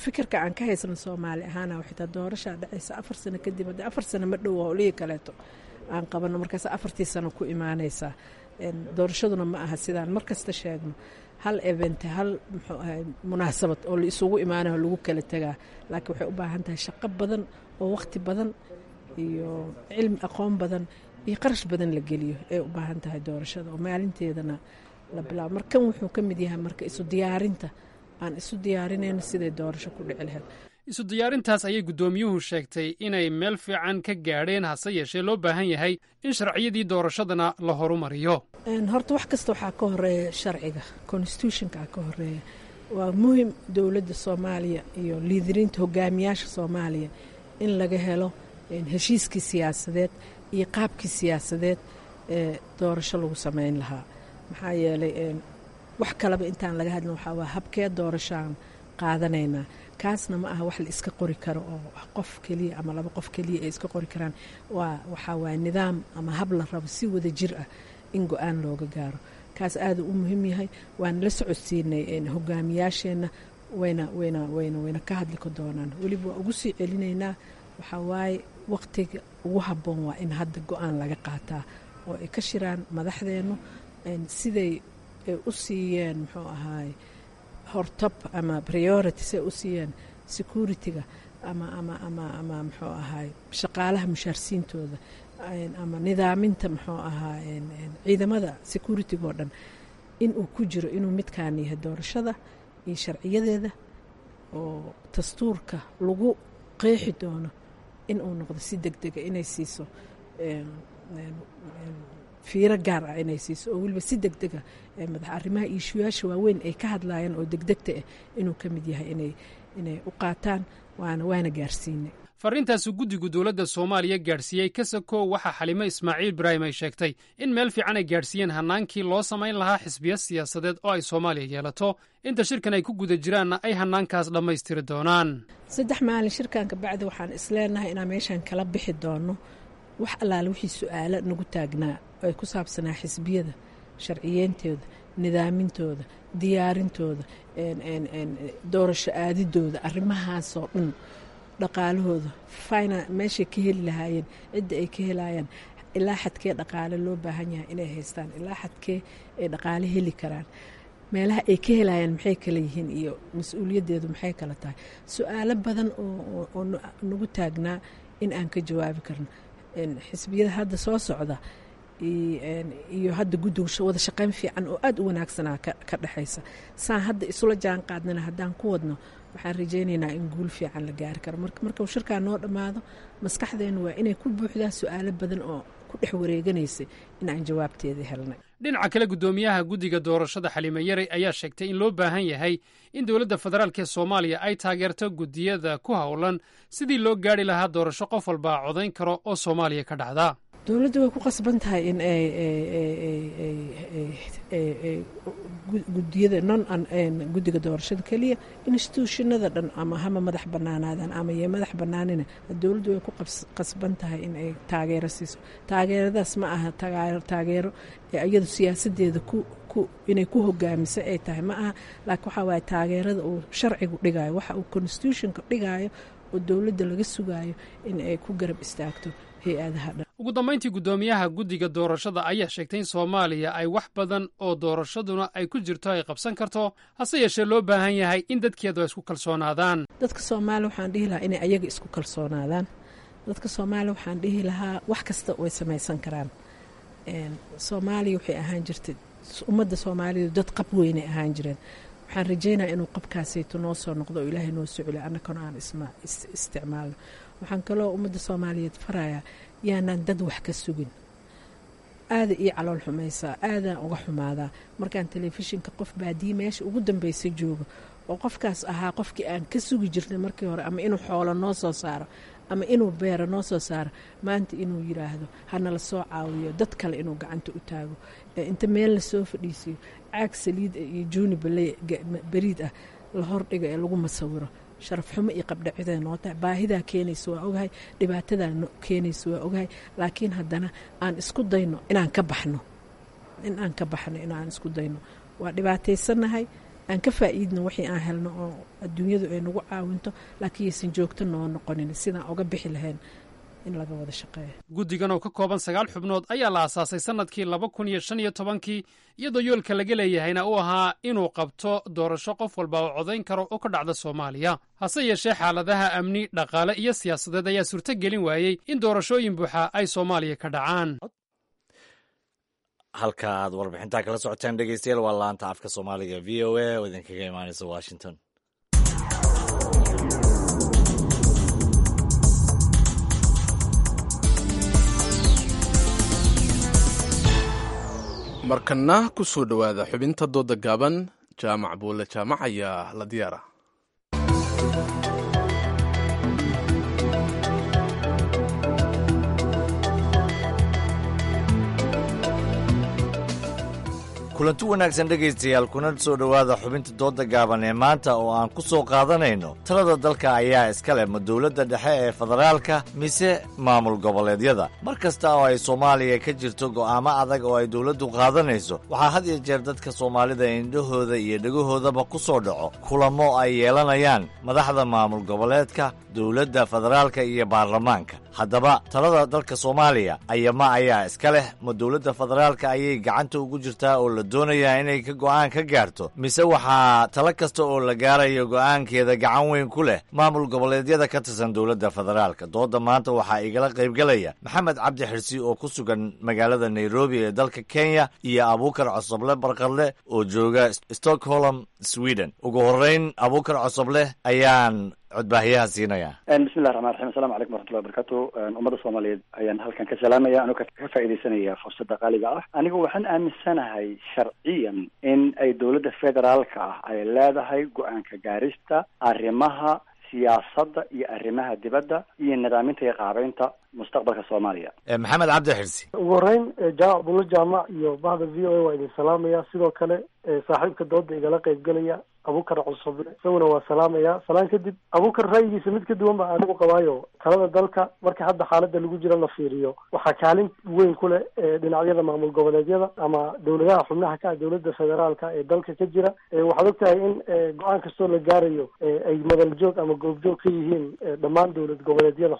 fikirka aan ka haysano Soomaali ahaana xitaa doorashaa dhacaysa 4 sano kadib, haddii 4 sano ma dhow howlihii kaleeto aan qabano, markaas afartii sano ku imaanaysaa. Doorashaduna ma aha sidaan mar kasta sheegno hal event, hal muxuu ahay munaasabad oo la isugu imaanayo lagu kala tegaa, laakiin waxay u baahan tahay shaqo badan oo waqti badan iyo cilmi, aqoon badan iyo qarash badan la geliyo ay u baahan tahay doorashada oo maalinteedana la bilaabo. Markan wuxuu ka mid yahay marka isu diyaarinta aan isu diyaarinayno siday doorasho ku dhici lahayd. Isu diyaarintaas ayay guddoomiyuhu sheegtay inay meel fiican ka gaadheen, hase yeeshee loo baahan yahay in sharciyadii doorashadana la horumariyo. Horta wax kasta waxaa ka horeeya sharciga, constitutionka ka horeeya. Waa muhim dowladda Soomaaliya iyo liidiriinta hogaamiyaasha Soomaaliya in laga helo heshiiskii siyaasadeed iyo qaabkii siyaasadeed ee doorasho lagu sameyn lahaa. Maxaa yeelay wax kaleba intaan laga hadlin waxaa waa habkee doorashaan qaadanaynaa. Kaasna ma aha wax la iska qori karo oo qof keliya ama laba qof keliya ay iska qori karaan. Waa waxaa waaya nidaam ama hab la rabo si wada jir ah in go-aan looga gaaro. Kaas aada u muhiim yahay, waana la socodsiinay hogaamiyaasheenna, wayna wayna wayna wayna ka hadli doonaan. Weliba waa ugu sii celinaynaa, waxaa waaye waqtiga ugu habboon waa in hadda go-aan laga qaataa oo ay ka shiraan madaxdeennu siday ay u siiyeen muxuu ahaay hortab ama priority, say u siiyeen security-ga ama ama ama ama muxuu ahaay shaqaalaha mushaarsiintooda ama nidaaminta muxuu ahaa ciidamada security-ga oo dhan, in uu ku jiro inuu midkaan yahay doorashada iyo sharciyadeeda oo dastuurka lagu qeexi doono in uu noqdo si deg dega inay siiso fiiro gaar ah, inay siiso oo weliba si deg dega madax arrimaha iishuyaasha waaweyn ay ka hadlaayeen oo degdegta ah inuu ka mid yahay inay u qaataan, waana gaarsiinay. Farriintaasu guddigu dowladda Soomaaliya gaadhsiiyey Kasako, waxaa Xalime Ismaaciil Ibraahim ay sheegtay in meel fiican ay gaadhsiiyeen hannaankii loo samayn lahaa xisbiyo siyaasadeed oo ay Soomaaliya yeelato, inta shirkan ay ku guda jiraanna ay hannaankaas dhammaystiri doonaan. 3 maalin shirkan kabacdi waxaan isleenahay inaan meeshaan kala bixi doono wax allaale wixii su-aalo nagu taagnaa ay ku saabsanaa xisbiyada sharciyeyntooda, nidaamintooda, diyaarintooda, doorasho aadidooda, arrimahaasoo dhan, dhaqaalahooda, fina meeshay ka heli lahaayeen, cidda ay ka helayaan, ilaa xadkee dhaqaale loo baahan yahay inay haystaan, ilaa xadkee ay dhaqaale heli karaan, meelaha ay ka helayaan maxay kala yihiin iyo mas-uuliyaddeedu maxay kala tahay. Su-aalo badan oo nagu taagnaa in aan ka jawaabi karno xisbiyada hadda soo socda iyo hadda guddiga wada shaqayn fiican oo aada u wanaagsanaa ka dhexaysa, saan hadda isula jaan qaadnana haddaan ku wadno, waxaan rajaynaynaa in guul fiican la gaari karo. Marka shirkaa noo dhammaado, maskaxdeennu waa inay ku buuxdaa su-aalo badan oo ku dhex wareeganaysay in aan jawaabteeda helnay. Dhinaca kale, guddoomiyaha guddiga doorashada Xaliime Yarey ayaa sheegtay in loo baahan yahay in dowladda federaalk ee Soomaaliya ay taageerto guddiyada ku howlan sidii loo gaari lahaa doorasho qof walba codayn karo oo Soomaaliya ka dhacda. Dowladdu way ku qasban tahay in ay gudiyada non guddiga doorashada keliya, institutionada dhan ama hama madax banaanaadaan ama yee madax banaanina, dowladdu way ku qasban tahay in ay taageero siiso. Taageeradaas ma aha taageero iyadu siyaasadeeda inay ku hogaamiso ay tahay ma aha, laakiin waxaa waaye taageerada uu sharcigu dhigayo, waxa uu constitutionka dhigayo oo dowladda laga sugayo in ay ku garab istaagto hay-adaha dhan. Ugu dambayntii, guddoomiyaha guddiga doorashada ayaa sheegtay in Soomaaliya ay wax badan oo doorashaduna ay ku jirto ay qabsan karto, hase yeeshee loo baahan yahay in dadkeedu ay isku kalsoonaadaan. Dadka Soomaaliya waxaan dhihi lahaa inay ayaga isku kalsoonaadaan. Dadka Soomaaliya waxaan dhihi lahaa wax kasta way samaysan karaan. Soomaaliya waxay ahaan jirtay, ummadda Soomaalidu dad qab weynay ahaan jireen. Waxaan rajaynaya inuu qabkaasayto noo soo noqdo oo Ilaahay noo soo celiyo, annakana aan isticmaalno. Waxaan kaloo ummadda Soomaaliyeed farayaa yaanaan dad wax ka sugin. Aada ii calool xumaysaa, aadaan uga xumaadaa markaan telefishinka qof baadiye meesha ugu dambaysa joogo oo qofkaas ahaa qofkii aan ka sugi jirnay markii hore ama inuu xoolo noo soo saaro ama inuu beero noo soo saaro, maanta inuu yidhaahdo hanala soo caawiyo, dad kale inuu gacanta u taago, inta meel lasoo fadhiisiyo caag saliid iyo juuni bariid ah la hordhigo ee lagu masawiro. Sharaf xumo iyo qabdhacida noo tahay. Baahidaa keenaysa waa ogahay, dhibaatadaa keenaysa waa ogahay, laakiin haddana aan isku dayno inaan ka baxno, in aan ka baxno, inaan isku dayno. Waa dhibaataysannahay, aan ka faa'iidno wixii aan helno oo adduunyadu ay nagu caawinto, laakiin yaysan joogto noo noqonin. Sidaan uga bixi lahayn in laga wada shaqeeyo. Guddigan oo ka kooban 9 xubnood ayaa la aasaasay sannadkii 2015-kii, iyadoo yoolka laga leeyahayna uu ahaa inuu qabto doorasho qof walba oo codayn karo oo ka dhacda Soomaaliya. Hase yeeshee xaaladaha amni, dhaqaale iyo siyaasadeed ayaa suurto gelin waayey in doorashooyin buuxa ay Soomaaliya ka dhacaan. Halka aad warbixintaa kala socotaan, dhegeystayaal, waa laanta afka Soomaaliga VOA oo idinkaga imaaneysa Washington. Markana ku soo dhowaada xubinta dooda gaaban. Jaamac Buule Jaamac ayaa la diyaara. Kulanti wanaagsan dhegaystayaal, kuna soo dhowaada xubinta dooda gaaban ee maanta oo aan ku soo qaadanayno talada dalka ayaa iska leh, ma dowladda dhexe ee federaalka mise maamul goboleedyada? Mar kasta oo ay Soomaaliya ka jirto go'aamo adag oo ay dowladdu qaadanayso, waxaa had iyo jeer dadka Soomaalida indhahooda iyo dhegahoodaba ku soo dhaco kulamo ay yeelanayaan madaxda maamul goboleedka, dowladda federaalka iyo baarlamaanka. Haddaba talada dalka Soomaaliya ayama ayaa iska leh? Ma dowladda federaalka ayay gacanta ugu jirtaa oo la doonayaa inay ka go'aan ka gaarto, mise waxaa talo kasta oo la gaarayo go'aankeeda gacan weyn ku leh maamul goboleedyada ka tirsan dowladda federaalka? Dooda maanta waxaa igala qaybgalaya Maxamed Cabdi Xirsi oo ku sugan magaalada Nairobi ee dalka Kenya iyo Abuukar Cosoble Barqadle oo jooga Stockholm, Sweden. Ugu horreyn Abuukar Cosoble ayaan codbaahiyaha siinayaa. Bismillahi raxmaan raxiim. Asalamu calaykum waraxmatullahi wabarakatu. Ummadda Soomaaliyeed ayaan halkan ka salaamaya anoo ka faaidaysanaya fursadda qaaliga ah. Anigu waxaan aaminsanahay sharciyan in ay dowladda federaalka ah ay leedahay go-aanka gaarista arrimaha siyaasadda iyo arrimaha dibadda iyo nidaaminta iyo qaabeynta mustaqbalka Soomaaliya. Maxamed Cabdi Xirsi. Ugu horreyn, Jaamac Bulo Jaamac iyo bahda VOA waa idin salaamaya. Sidoo kale saaxiibka dooda igala qaybgelaya Abuukar Cusuble isaguna waa salaamaya. Salaan kadib, Abuukar ra'yigiisa mid ka duwan baa anigu qabaayo. Talada dalka marka hadda xaaladda lagu jiro la fiiriyo, waxaa kaalin weyn ku leh dhinacyada maamul goboleedyada ama dowladaha xubnaha ka ah dowladda federaalka ee dalka ka jira. Waxaad ogtahay in go-aan kastoo la gaarayo ay madal joog ama goobjoog ka yihiin dhammaan dowlad goboleedyada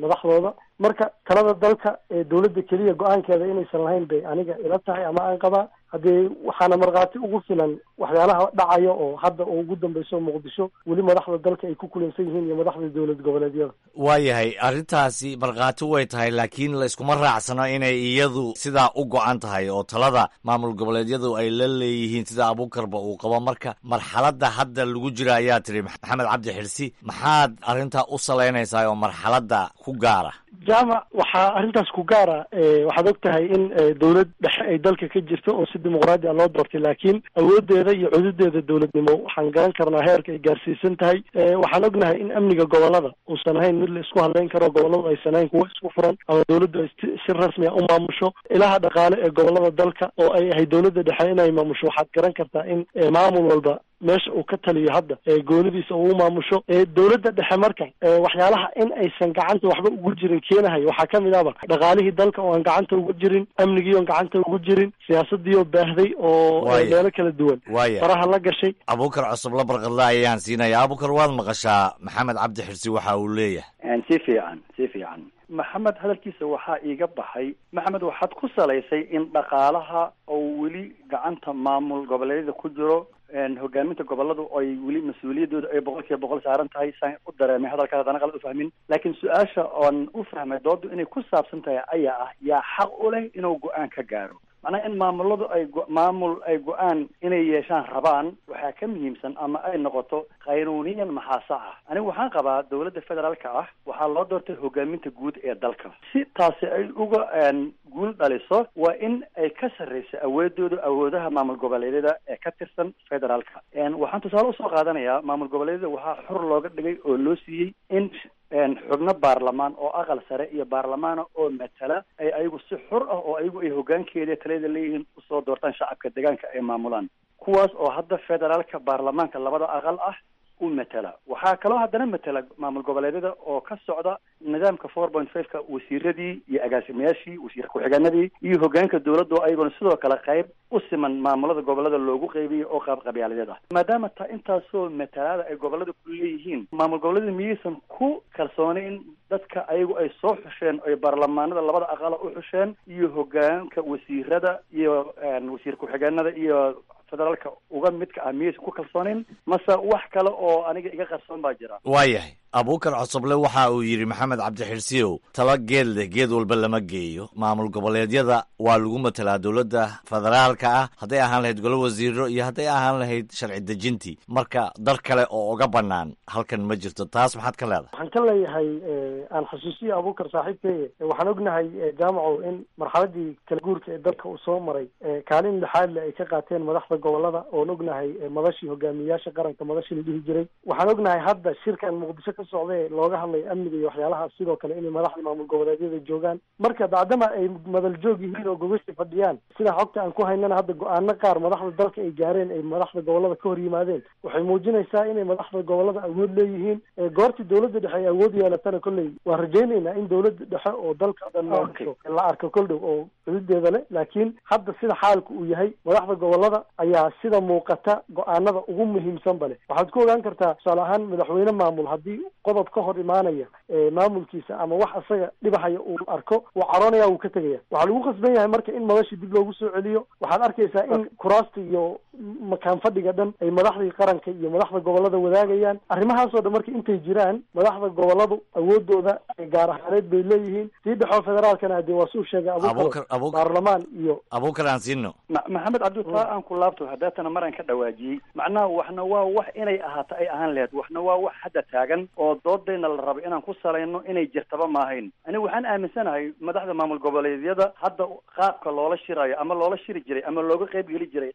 madaxdooda. Marka talada dalka ee dowladda keliya go-aankeeda inaysan lahayn bay aniga ila tahay ama aan qabaa. Haddee waxaana markhaati ugu filan waxyaalaha dhacaya oo hadda oo ugu dambeyso Muqdisho weli madaxda dalka ay ku kulansan yihiin iyo madaxda dowlad goboleedyada. Waayahay, arrintaasi markhaati way tahay, laakiin la iskuma raacsano inay iyadu sidaa u go-an tahay oo talada maamul goboleedyadu ay la leeyihiin sida Abuukarba uu qabo. Marka marxaladda hadda lagu jira ayaa tiri Maxamed Cabdi Xirsi, maxaad arrintaa u salaynaysaa oo marxaladda ku gaara? Jaamac, waxaa arrintaas ku gaara, waxaad og tahay in dowlad dhexe ay dalka ka jirto oo si dimuqraadi a loo doortay, laakiin awoodeeda iyo cududeeda dowladnimo waxaan garan karnaa heerka ay gaarsiisan tahay. Waxaan ognahay in amniga gobolada uusan ahayn mid la isku hadlayn karo, goboladu aysan ahayn kuwo isku furan ama dowladdu ay si rasmi a u maamusho ilaha dhaqaale ee gobolada dalka oo ay ahay dowladda dhexe inay maamusho. Waxaad garan kartaa in maamul walba meesha uu ka taliyo hadda goonidiisa uu maamusho dowladda dhexe. Marka waxyaalaha in aysan gacanta waxba ugu jirin keenahay waxaa kamid ahba dhaqaalihii dalka oo aan gacanta ugu jirin, amnigii oon gacanta ugu jirin, siyaasadii oo baahday oo meelo kala duwan faraha la gashay. Abuukar Cusub la Barqadla ayaan siinaya. Abuukar, waad maqashaa Maxamed Cabdi Xirsi waxa uu leeyahay. Si fiican, si fiican. Maxamed hadalkiisa waxaa iiga baxay, Maxamed, waxaad ku salaysay in dhaqaalaha oo weli gacanta maamul goboleedyada ku jiro, hogaaminta goboladu ay weli mas-uuliyaddooda ay 100% saaran tahay. Saan u dareemay hadalkaas, haddana qalad u fahmin, laakiin su-aasha oon u fahmay doodu inay ku saabsan tahay ayaa ah yaa xaq u leh inuu go-aan ka gaaro? Macnaha in maamuladu ay maamul ay go-aan inay yeeshaan rabaan waxaa ka muhiimsan ama ay noqoto qaynuuniyan maxaa sax ah. Anigu waxaan qabaa dowladda federaalka ah waxaa loo doortay hogaaminta guud ee dalka. Si taasi ay uga guul dhaliso waa in ay ka sarreyso awoodooda awoodaha maamul goboleedyada ee ka tirsan federaalka. Waxaan tusaale usoo qaadanayaa maamul goboleedyada waxaa xor looga dhigay oo loo siiyey in xubno baarlamaan oo aqal sare iyo baarlamaana oo matala ay ayagu si xur ah oo ayagu ay hoggaankeeda talada leeyihiin usoo doortaan shacabka deegaanka ay maamulaan, kuwaas oo hadda federaalka baarlamaanka labada aqal ah u matala. Waxaa kaloo haddana matala maamul goboleedyada oo ka socda nidaamka 4.5-ka wasiiradii iyo agaasimayaashii, wasiir ku-xigeenadii iyo hoggaanka dowladda oo ayaguna sidoo kale qayb u siman maamulada gobolada loogu qaybiyey oo qaab qabyaaladeed ah. Maadaama ta intaasoo matalaada ay gobolada ku leeyihiin, maamul goboleedyada miyaysan ku kalsoonayn dadka ayagu ay soo xusheen, ay baarlamaanada labada aqala u xusheen iyo hoggaanka wasiirada iyo wasiir ku-xigeenada iyo federaalka uga midka ah, miyaysan ku kalsoonayn, mase wax kale oo aniga iga qarsoon baa jira? Waayahay, Abuukar Cosoble, waxa uu yidhi Maxamed Cabdixirsiyow, talo geed leh geed walba lama geeyo. Maamul goboleedyada waa lagu matalaa dowladda federaalka ah, hadday ahaan lahayd golo wasiiro iyo hadday ahaan lahayd sharci dejintii. Marka dar kale oo uga bannaan halkan ma jirto. Taas maxaad ka leedahay? Waxaan ka leeyahay, aan xasuusiya Abuukar saaxiibkeeye, waxaan ognahay Jaamacow in marxaladii kala guurka ee dalka uu soo maray kaalin lixaad le ay ka qaateen madaxda gobolada oon ognahay madashii hogaamiyeyaasha qaranka madashii la dhihi jiray. Waxaan ognahay hadda shirkan Muqdisho ka socda ee looga hadlayo amniga iyo waxyaalahaas, sidoo kale inay madaxda maamul goboleedyada joogaan. Marka bacdama ay madal joog yihiin oo gogosha fadhiyaan, sida xogta aan ku haynana hadda go-aano qaar madaxda dalka ay gaareen ay madaxda gobolada ka hor yimaadeen, waxay muujinaysaa inay madaxda gobolada awood leeyihiin. Goortii dowladda dhexe ay awood yeelatana, kolley waan rajaynaynaa in dowladda dhexe oo dalka dhan maamusho la arko kol dhow oo xuduudeeda leh. Laakiin hadda sida xaalku uu yahay, madaxda gobolada ayaa sida muuqata go-aanada ugu muhiimsan bale. Waxaad ku ogaan kartaa tusaale ahaan madaxweyne maamul haddii qodob ka hor imaanaya maamulkiisa ama wax asaga dhibahaya uu arko, wuu caroonaya, wuu ka tegaya. Waxaa lagu khasban yahay marka in madashii dib loogu soo celiyo. Waxaad arkaysaa in kuraasta iyo makaan fadhiga dhan ay madaxdii qaranka iyo madaxda gobolada wadaagayaan. Arrimahaasoo dhan marka intay jiraan, madaxda goboladu awoodooda gaar ahaaneed bay leeyihiin. Sii dhexoo federaalkana hadee waa suu sheegay Abuukar, baarlamaan iyo Abuukar aan siino. Maxamed Cabdi, taa aan ku laabto hadeetana maraan ka dhawaajiyey, macnaha waxna waa wax inay ahaato ay ahaan lahayd, waxna waa wax hadda taagan oo doodayna la rabo inaan ku salayno inay jirtaba maahayn. Anigu waxaan aaminsanahay madaxda maamul goboleedyada hadda qaabka loola shirayo ama loola shiri jiray ama looga qayb geli jiray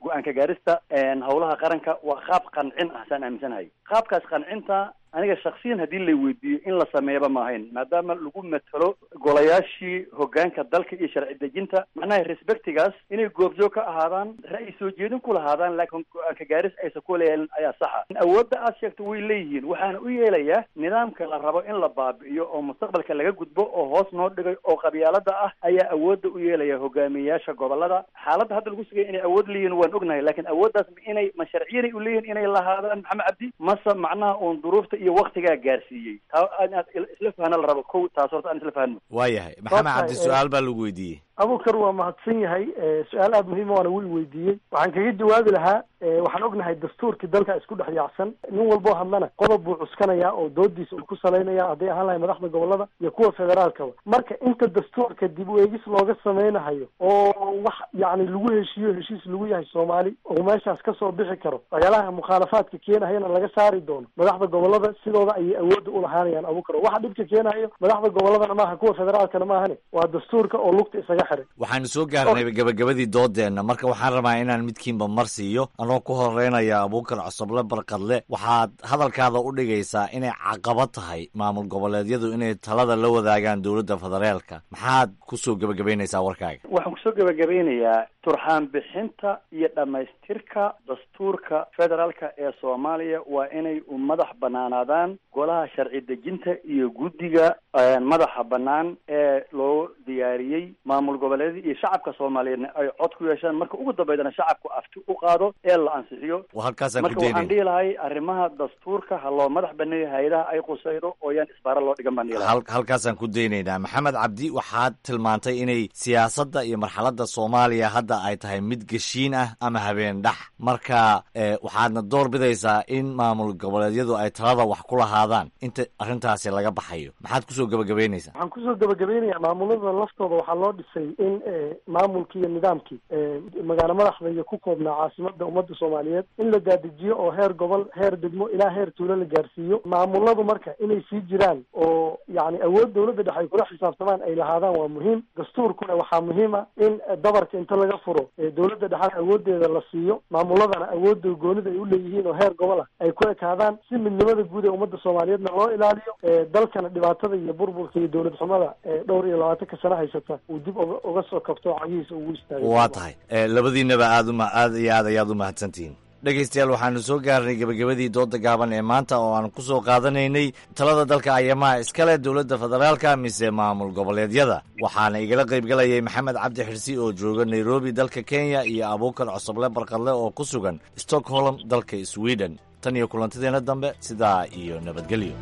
go-aanka gaarista howlaha qaranka waa qaab qancin ah, saan aaminsanahay. Qaabkaas qancinta aniga shaksiyan haddii la weydiiyo in la sameeyaba maahayn, maadaama lagu matalo golayaashii hogaanka dalka iyo sharci dejinta, macnaha respectigaas inay goobjoog ka ahaadaan, ra'yi soo jeedin ku lahaadaan, laakiin go-aanka gaaris aysan ku leeyahin ayaa saxa. Awoodda aad sheegto way leeyihiin, waxaana u yeelayaa nidaamka la rabo in la baabi'iyo oo mustaqbalka laga gudbo oo hoos noo dhigay oo qabyaalada ah ayaa awoodda u yeelaya hogaamiyeyaasha gobolada. Xaaladda hadda lagu sugaya inay awood leeyihiin waan ognahay, laakiin awooddaas inay ma sharciyanay u leeyihin inay lahaadaan, Maxamed Cabdi, mase macnaha uun duruufta iyo waktigaa gaarsiiyey? Taa inaad isla fahno la rabo. Kow taas horta aan isla fahno. Waayahay, Maxamed Cabdi, su-aal baa lagu weydiiyey. Abuukar waa mahadsan yahay, su-aal aada muhiima waana wuu weydiiyey. Waxaan kaga jawaabi lahaa, waxaan ognahay dastuurkii dalka isku dhex yaacsan. Nin walboo hadlana qodob buu cuskanayaa oo doodiisa uu ku salaynaya, hadday ahaan lahay madaxda gobolada iyo kuwa federaalkaba. Marka inta dastuurka dib u eegis looga sameynahayo oo wax yacni lagu heshiiyo, heshiis lagu yahay Soomaali oo meeshaas kasoo bixi karo, waxyaalaha mukhaalafaadka keenahayana laga saari doono, madaxda gobolada sidooda ayay awoodda ulahaanayaan. Abuukar, waxa dhibka keenahayo madaxda goboladana maaha, kuwa federaalkana maahane, waa dastuurka oo lugta isaga xiray. Waxaanu soo gaarnay gabagabadii doodeenna. Marka waxaan rabaa inaan midkiinba mar siiyo, anoo ku horeynaya Abuukar Cosoble Barkadle. Waxaad hadalkaada u dhigaysaa inay caqabad tahay maamul goboleedyadu inay talada la wadaagaan dowladda federaalka. Maxaad kusoo gebagabaynaysaa warkaaga? Waxaan kusoo gebagabaynayaa turxaan bixinta iyo dhammaystirka dastuurka federaalka ee Soomaaliya waa inay u madax banaanaadaan golaha sharci dejinta iyo guddiga madaxa bannaan ee loo diyaariyey maamul goboleedyada, iyo shacabka Soomaaliyeedna ay cod ku yeeshaan. Marka ugu dambeydana shacabku afti u qaado ee la ansixiyo. Halkaasaan ku Marka waxaan daynayna. dhihi lahay arrimaha dastuurka ha loo madax baneeyo hay-adaha ay qusaydo oo yaan isbaara loo dhigan baan dhihi lahay. Halkaasaan ku daynaynaa. Maxamed Cabdi, waxaad tilmaantay inay siyaasadda iyo marxaladda Soomaaliya hadda ay tahay mid geshiin ah ama habeen dhax. Marka waxaadna door bidaysaa in maamul goboleedyadu ay talada wax ku lahaadaan inta arrintaasi laga baxayo. Maxaad kusoo gebagabaynaysaa? Waxaan kusoo gabagabeynayaa, maamulada laftooda waxaa loo dhisay in maamulkii iyo nidaamkii magaalo madaxda iyo ku koobnaa caasimada ummadda Soomaaliyeed in la daadajiyo oo heer gobol, heer degmo ilaa heer tuulo la gaarsiiyo. Maamuladu marka inay sii jiraan oo yacni awood dowladda dhexe ay kula xisaabtamaan ay lahaadaan waa muhiim. Dastuurkuna waxaa muhiim ah in dabarka inta laga furo dowladda dhexena awoodeeda la siiyo, maamuladana awoodda goonida ay u leeyihiin oo heer gobol ah ay ku ekaadaan, si midnimada guud ee ummadda Soomaaliyeedna loo ilaaliyo, dalkana dhibaatada iyo burburka iyo dowlad xumada ee dhowr iyo labaatanka sano haysata uu dib uga soo kabto oo cagihiisa ugu istaago. Waa tahay, labadiinaba aad uma aad iyo aad ayaad u mahadsantihiin. Dhegaystayaal, waxaanu soo gaarnay gebagabadii dooda gaaban ee maanta oo aan ku soo qaadanaynay talada dalka ayamaha iskale dowladda federaalka mise maamul goboleedyada. Waxaana igala qaybgalayay Maxamed Cabdi Xirsi oo jooga Nairobi dalka Kenya iyo Abuukar Cosoble Barkadle oo ku sugan Stockholm dalka Sweden. Tan iyo kulantadeena dambe, sidaa iyo nabadgelyo.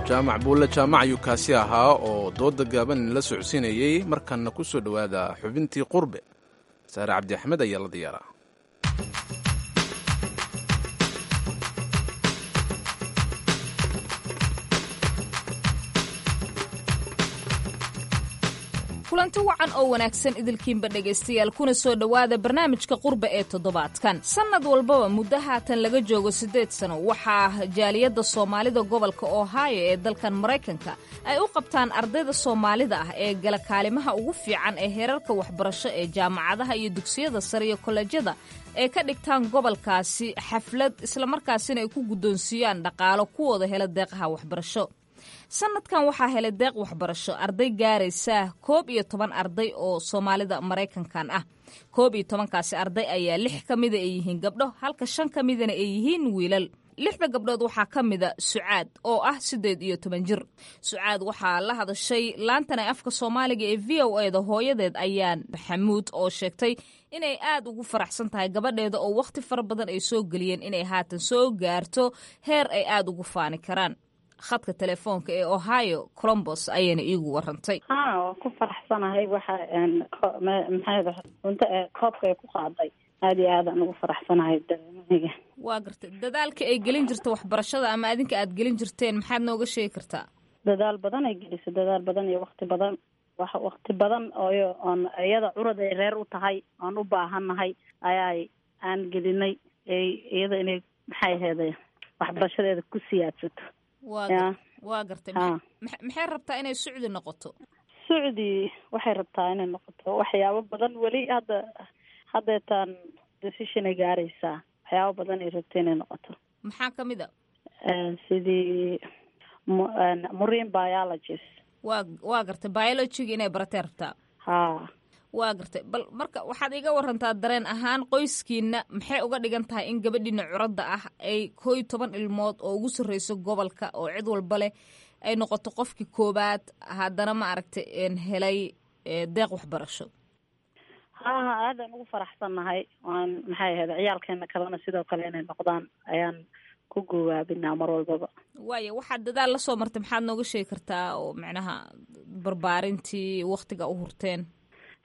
Jaamac Buulle Jaamac ayuu kaasi ahaa oo dooda gaaban la socodsiinayey. Markanna ku soo dhowaada xubintii Qurbe. Saare Cabdi Axmed ayaa la diyaaraa. Kulanti wacan oo wanaagsan idilkiinba dhegaystayaal, kuna soo dhowaada barnaamijka Qurba ee toddobaadkan. Sannad walbaba muddo haatan laga joogo 8 sano waxaa jaaliyadda Soomaalida gobolka Ohio ee dalkan Maraykanka ay u qabtaan ardayda Soomaalida ah ee gala kaalimaha ugu fiican ee heerarka waxbarasho ee jaamacadaha iyo dugsiyada sare iyo kollejyada ay ka dhigtaan gobolkaasi xaflad, islamarkaasina ay ku guddoonsiiyaan dhaqaalo kuwooda hela deeqaha waxbarasho. Sanadkan waxaa helay deeq waxbarasho arday gaaraysa 11 arday oo Soomaalida Maraykankan ah. 11-kaasi arday ayaa lix ka mida ay yihiin gabdho, halka shan ka midana ay yihiin wiilal. Lixda gabdhood waxaa ka mida Sucaad oo ah 18 jir. Sucaad waxaa la hadashay laantan ee afka Soomaaliga ee VOA da hooyadeed Ayaan Maxamuud oo sheegtay inay aad ugu faraxsan tahay gabadheeda oo wakhti fara badan ay soo geliyeen inay haatan soo gaarto heer ay aada ugu faani karaan. Khadka telefoonka ee Ohio, Columbus, ayayna iigu warantay. Ha, waan ku faraxsanahay. Waxa maxay cunto ee koobka ay ku qaaday, aada iyo aad aan ugu faraxsanahay dareemahayga. Waa gartay. Dadaalka ay gelin jirta waxbarashada ama adinka aad gelin jirteen, maxaad nooga sheegi kartaa? Dadaal badan ay gelisay, dadaal badan iyo wakti badan, wax wakti badan ooyo oon iyada curad ay reer u tahay oon u baahannahay ayaay aan gelinay ay iyada inay maxay aheeday waxbarashadeeda ku siyaadsato. Waa gartay. Maxay rabtaa inay Sucdi noqoto? Sucdi waxay rabtaa inay noqoto waxyaabo badan. Weli hadda haddeetaan decision ay gaaraysaa, waxyaabo badan ay rabta inay noqoto. Maxaa kamid a? Sidii marine biologist. Waa gartay, biologyga inay baratay rabtaa. Ha. Waa gartay. Bal marka waxaad iga warantaa dareen ahaan qoyskiina maxay uga dhigan tahay in gabadhiina curadda ah ay 11 ilmood oo ugu sarreyso gobolka oo cid walba leh ay noqoto qofkii koobaad, haddana ma aragtay helay deeq waxbarasho? Ha ha, aadaan ugu faraxsannahay. Waan maxay ahayd ciyaalkeena kalena sidoo kale inay noqdaan ayaan ku goowaabinaa mar walbaba. Waaya, waxaad dadaal la soo martay maxaad nooga sheegi kartaa oo macnaha barbaarintii waktiga u hurteen?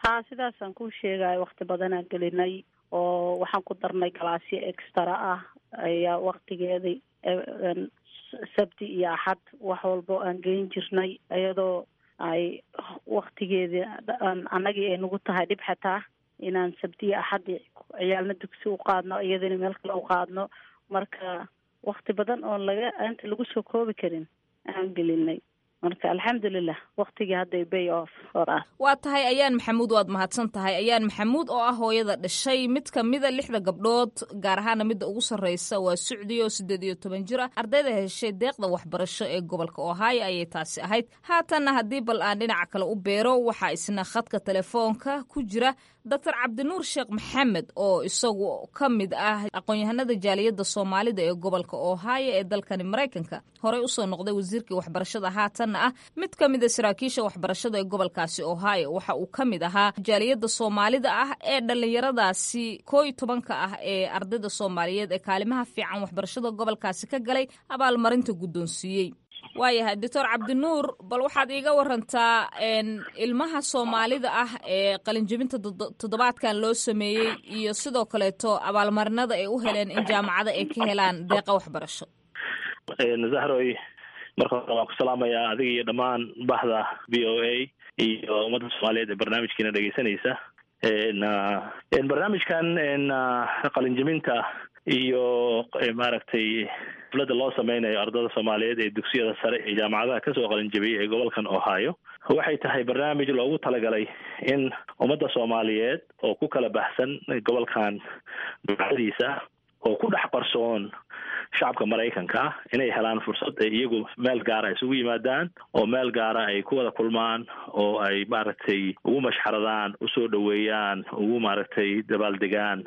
Ha, sidaasaan kuu sheegayo, wakti badanaan gelinay oo waxaan ku darnay galaasyo extra ah ayaa waktigeedii Sabti iyo Axad wax walbo aan geyn jirnay, iyadoo ay waktigeedii annagii ay nagu tahay dhib xataa inaan Sabti iyo Axad ciyaalna dugsi u qaadno, iyadana meel kale u qaadno. Marka wakti badan oon laga inta lagu soo koobi karin aan gelinay. Marka alxamdulilah, waktigii hadday pay off for us. Waa tahay, Ayaan Maxamuud, waad mahadsan tahay. Ayaan Maxamuud oo ah hooyada dhashay mid ka mida lixda gabdhood, gaar ahaana midda ugu sarreysa waa Sucdi oo 18 jir ah, ardayda heshay deeqda waxbarasho ee gobolka Ohio ayay taasi ahayd. Haatanna haddii bal aan dhinaca kale u beero, waxaa isna khadka telefoonka ku jira Doctor Cabdinuur Sheekh Maxamed oo isagu ka mid ah aqoon-yahanada jaaliyadda Soomaalida ee gobolka Ohio ee dalkani Maraykanka, horey usoo noqday wasiirkii waxbarashada, haatanna ah mid ka mid a saraakiisha waxbarashada ee gobolkaasi Ohio. Waxa uu ka mid ahaa jaaliyadda Soomaalida ah ee dhallinyaradaasi 11-ka ah ee ardayda Soomaaliyeed ee kaalimaha fiican waxbarashada gobolkaasi ka galay abaalmarinta guddoonsiiyey. Waayahay, Doctor Cabdinuur, bal waxaad iiga warantaa ilmaha Soomaalida ah ee qalinjebinta toddobaadkan loo sameeyey iyo sidoo kaleeto abaalmarinada ay u heleen in jaamacada ay ka helaan deeqa waxbarasho. Zahroy, marka hore waan ku salaamayaa adiga iyo dhammaan bahda VOA iyo ummadda Soomaaliyeed ee barnaamijkiina dhegeysanaysa. Barnaamijkan qalinjebinta iyo maaragtay xafladda loo sameynayo ardada Soomaaliyeed ee dugsiyada sare ee jaamacadaha kasoo qalinjabiyey ee gobolkan Ohio waxay tahay barnaamij loogu talagalay in ummadda Soomaaliyeed oo ku kala baxsan gobolkan dacadiisa oo ku dhex qarsoon shacabka Maraykanka ah inay helaan fursad ay iyagu meel gaara isugu yimaadaan oo meel gaara ay ku wada kulmaan oo ay maaragtay ugu mashxaradaan, usoo dhoweeyaan, ugu maaragtay dabaaldegaan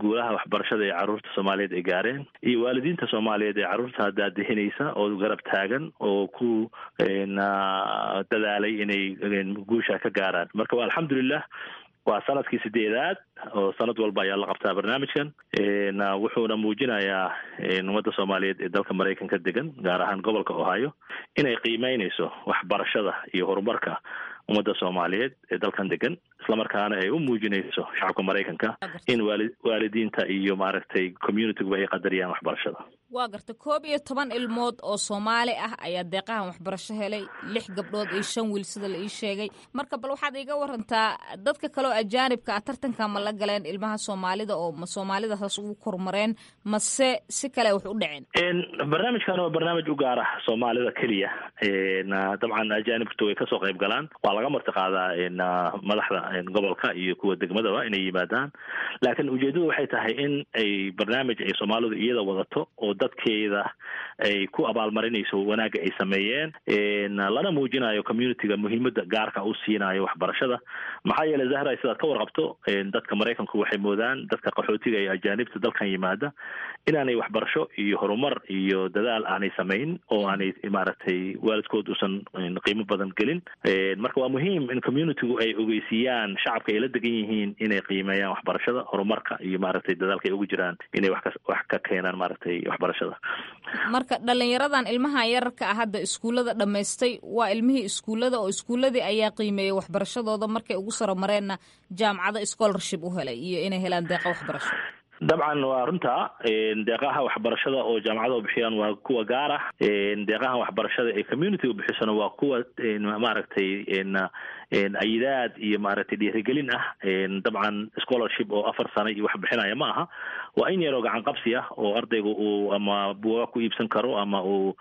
guulaha waxbarashada ee carruurta Soomaaliyeed ay gaareen iyo waalidiinta Soomaaliyeed ee carruurta daadihinaysa oo garab taagan oo ku dadaalay inay guusha ka gaaraan. Marka waa alxamdulilah, waa sanadkii sideedaad oo sanad walba ayaa la qabtaa barnaamijkan, wuxuuna muujinayaa ummadda Soomaaliyeed ee dalka Maraykanka degan, gaar ahaan gobolka Ohio, inay qiimeynayso waxbarashada iyo horumarka ummadda Soomaaliyeed ee dalkan degan, islamarkaana ay u muujinayso shacabka Maraykanka in waalidiinta iyo maaragtay communityguba ay qadariyaan waxbarashada. Waa garta, 11 ilmood oo Soomaali ah ayaa deeqahan waxbarasho helay, lix gabdhood iyo shan wiil sida la ii sheegay. Marka bal waxaad iiga warantaa dadka kale oo ajaanibka ah tartanka ma la galeen ilmaha Soomaalida, oo ma Soomaalida saas ugu kormareen mase si kale wax u dhaceen? Barnaamijkan waa barnaamij u gaar ah Soomaalida keliya. Dabcan ajaanibtu way kasoo qayb galaan, waa laga marti qaadaa madaxda gobolka iyo kuwa degmadaba inay yimaadaan, laakiin ujeedadu waxay tahay in ay barnaamij ay Soomaalidu iyada wadato oo dadkeeda ay ku abaalmarinayso wanaagga ay sameeyeen, lana muujinayo communityga muhiimada gaarka u siinayo waxbarashada. Maxaa yeelay, Zahra, sidaad ka warqabto, dadka Maraykanku waxay moodaan dadka qaxootiga iyo ajaanibta dalkan yimaada inaanay waxbarasho iyo horumar iyo dadaal aanay samayn oo aanay maaragtay waalidkood uusan qiimo badan gelin. Marka waa muhiim in communitygu ay ogeysiiyaan shacabka ay la degan yihiin inay qiimeeyaan waxbarashada, horumarka iyo maaragtay dadaalka ay ugu jiraan inay wax ka keenaan maaragtay waxbarashada. Marka dhalinyaradan ilmahan yararka ah hadda iskuullada dhammaystay waa ilmihii iskuullada, oo iskuulladii ayaa qiimeeyey waxbarashadooda, markay ugu saro mareenna jaamacado scholarship u helay iyo inay helaan deeqa waxbarasho. Dabcan waa runta, deeqaha waxbarashada oo jaamacadahu bixiyaan waa kuwa gaar ah. Deeqaha waxbarashada ee community bixisana waa kuwa maaragtay ayidaad iyo maaragtay dhiirigelin ah. Dabcan scholarship oo 4 sano iyo wax bixinaya ma aha, waa in yaroo gacan qabsi ah oo ardaygu uu ama buugaag ku iibsan karo ama uu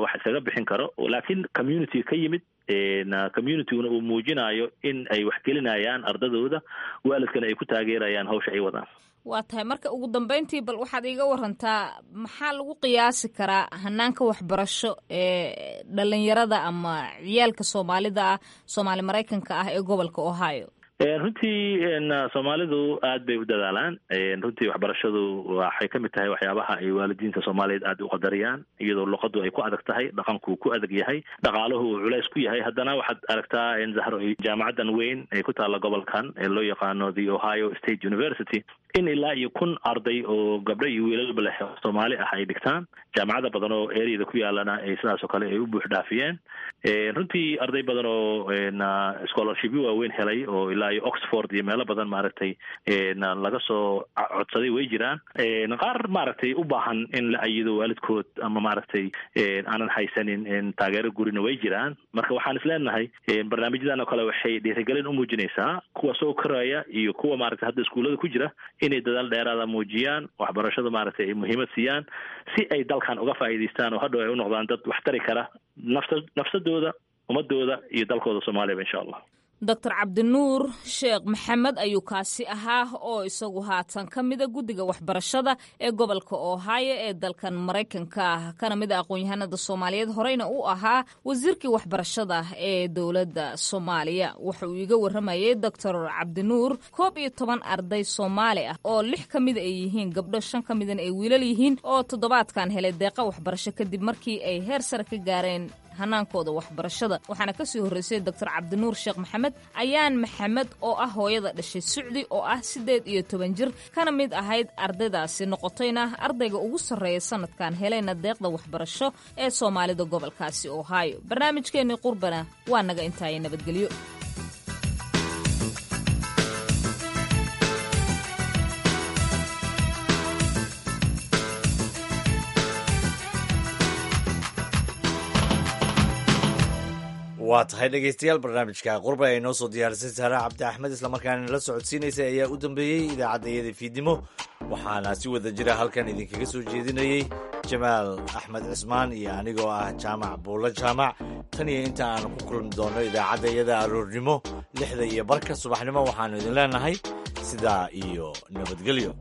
wax isaga bixin karo, laakiin community ka yimid, communityguna uu muujinayo in ay wax gelinayaan ardadooda, waalidkana ay ku taageerayaan hawsha ay wadaan. Waa tahay. Marka ugu dambeyntii bal waxaad iiga warantaa maxaa lagu qiyaasi karaa hanaanka waxbarasho ee dhalinyarada ama ciyaalka Soomaalida ah, Soomaali Maraykanka ah ee gobolka Ohio? Runtii Soomaalidu aad bay u dadaalaan. Runtii waxbarashadu waxay ka mid tahay waxyaabaha ay waalidiinta Soomaaliyeed aad u qadariyaan, iyadoo luqadu ay ku adag tahay, dhaqanku ku adag yahay, dhaqaaluhu uu culays ku yahay. Haddana waxaad aragtaa in, Zahro, jaamacadan weyn ee ku taalla gobolkan ee loo yaqaano The Ohio State University in ilaa iyo 1000 arday oo gabdho iyo wiilalba leh oo Soomaali ah ay dhigtaan. Jaamacada badan oo areada ku yaalana ay sidaas oo kale ay u buux dhaafiyeen. Runtii arday badan oo scholarshipyo waaweyn helay oo ilaa iyo Oxford iyo meelo badan maaragtay laga soo codsaday way jiraan. Qaar maaragtay u baahan in la ayido waalidkood ama maaragtay aanan haysanin taageero gurina way jiraan. Marka waxaan is leenahay barnaamijyadan oo kale waxay dhiirigelin u muujinaysaa kuwa soo koraya iyo kuwa maaragtay hadda iskuullada ku jira inay dadaal dheeraada muujiyaan, waxbarashada maaragtay ay muhiimad siiyaan, si ay dalkan uga faa'iidaystaan oo hadhow ay u noqdaan dad wax tari kara nafta nafsadooda, ummadooda iyo dalkooda Soomaaliyaba, insha Allah. Doctor Cabdinuur Sheekh Maxamed ayuu kaasi ahaa, oo isagu haatan ka mida guddiga waxbarashada ee gobolka Ohio ee dalkan Maraykanka ah, kana mid a aqoon-yahanada Soomaaliyeed, horeyna u ahaa wasiirkii waxbarashada ee dowladda Soomaaliya. Waxa uu iiga waramayay Doctor Cabdinuur 11 arday Soomaali ah oo lix ka mida ay yihiin gabdho, shan ka midana ay wiilal yihiin, oo toddobaadkan helay deeqa waxbarasho kadib markii ay heer sare ka gaareen hanaankooda waxbarashada. Waxaana kasii horreysay Doctor Cabdinuur Sheekh Maxamed Ayaan Maxamed, oo ah hooyada dhashay Sucdi, oo ah 18 jir, kana mid ahayd ardaydaasi, noqotayna ardayga ugu sarreeya sanadkan, helayna deeqda waxbarasho ee Soomaalida gobolkaasi Ohio. Barnaamijkeennii qurbana waa naga intaaya, nabadgelyo. Waa tahay, dhegeystayaal, barnaamijka qurba ay noo soo diyaarisay Saare Cabdi Axmed islamarkaana la socodsiinaysay ayaa u dambeeyey idaacadda iyada fiidnimo. Waxaana si wada jira halkan idinkaga soo jeedinayey Jamaal Axmed Cismaan iyo anigoo ah Jaamac Buulo Jaamac. Tan iyo inta aan ku kulmi doonno idaacadda iyada aroornimo 6:30 subaxnimo, waxaanu idin leenahay sidaa iyo nabadgelyo.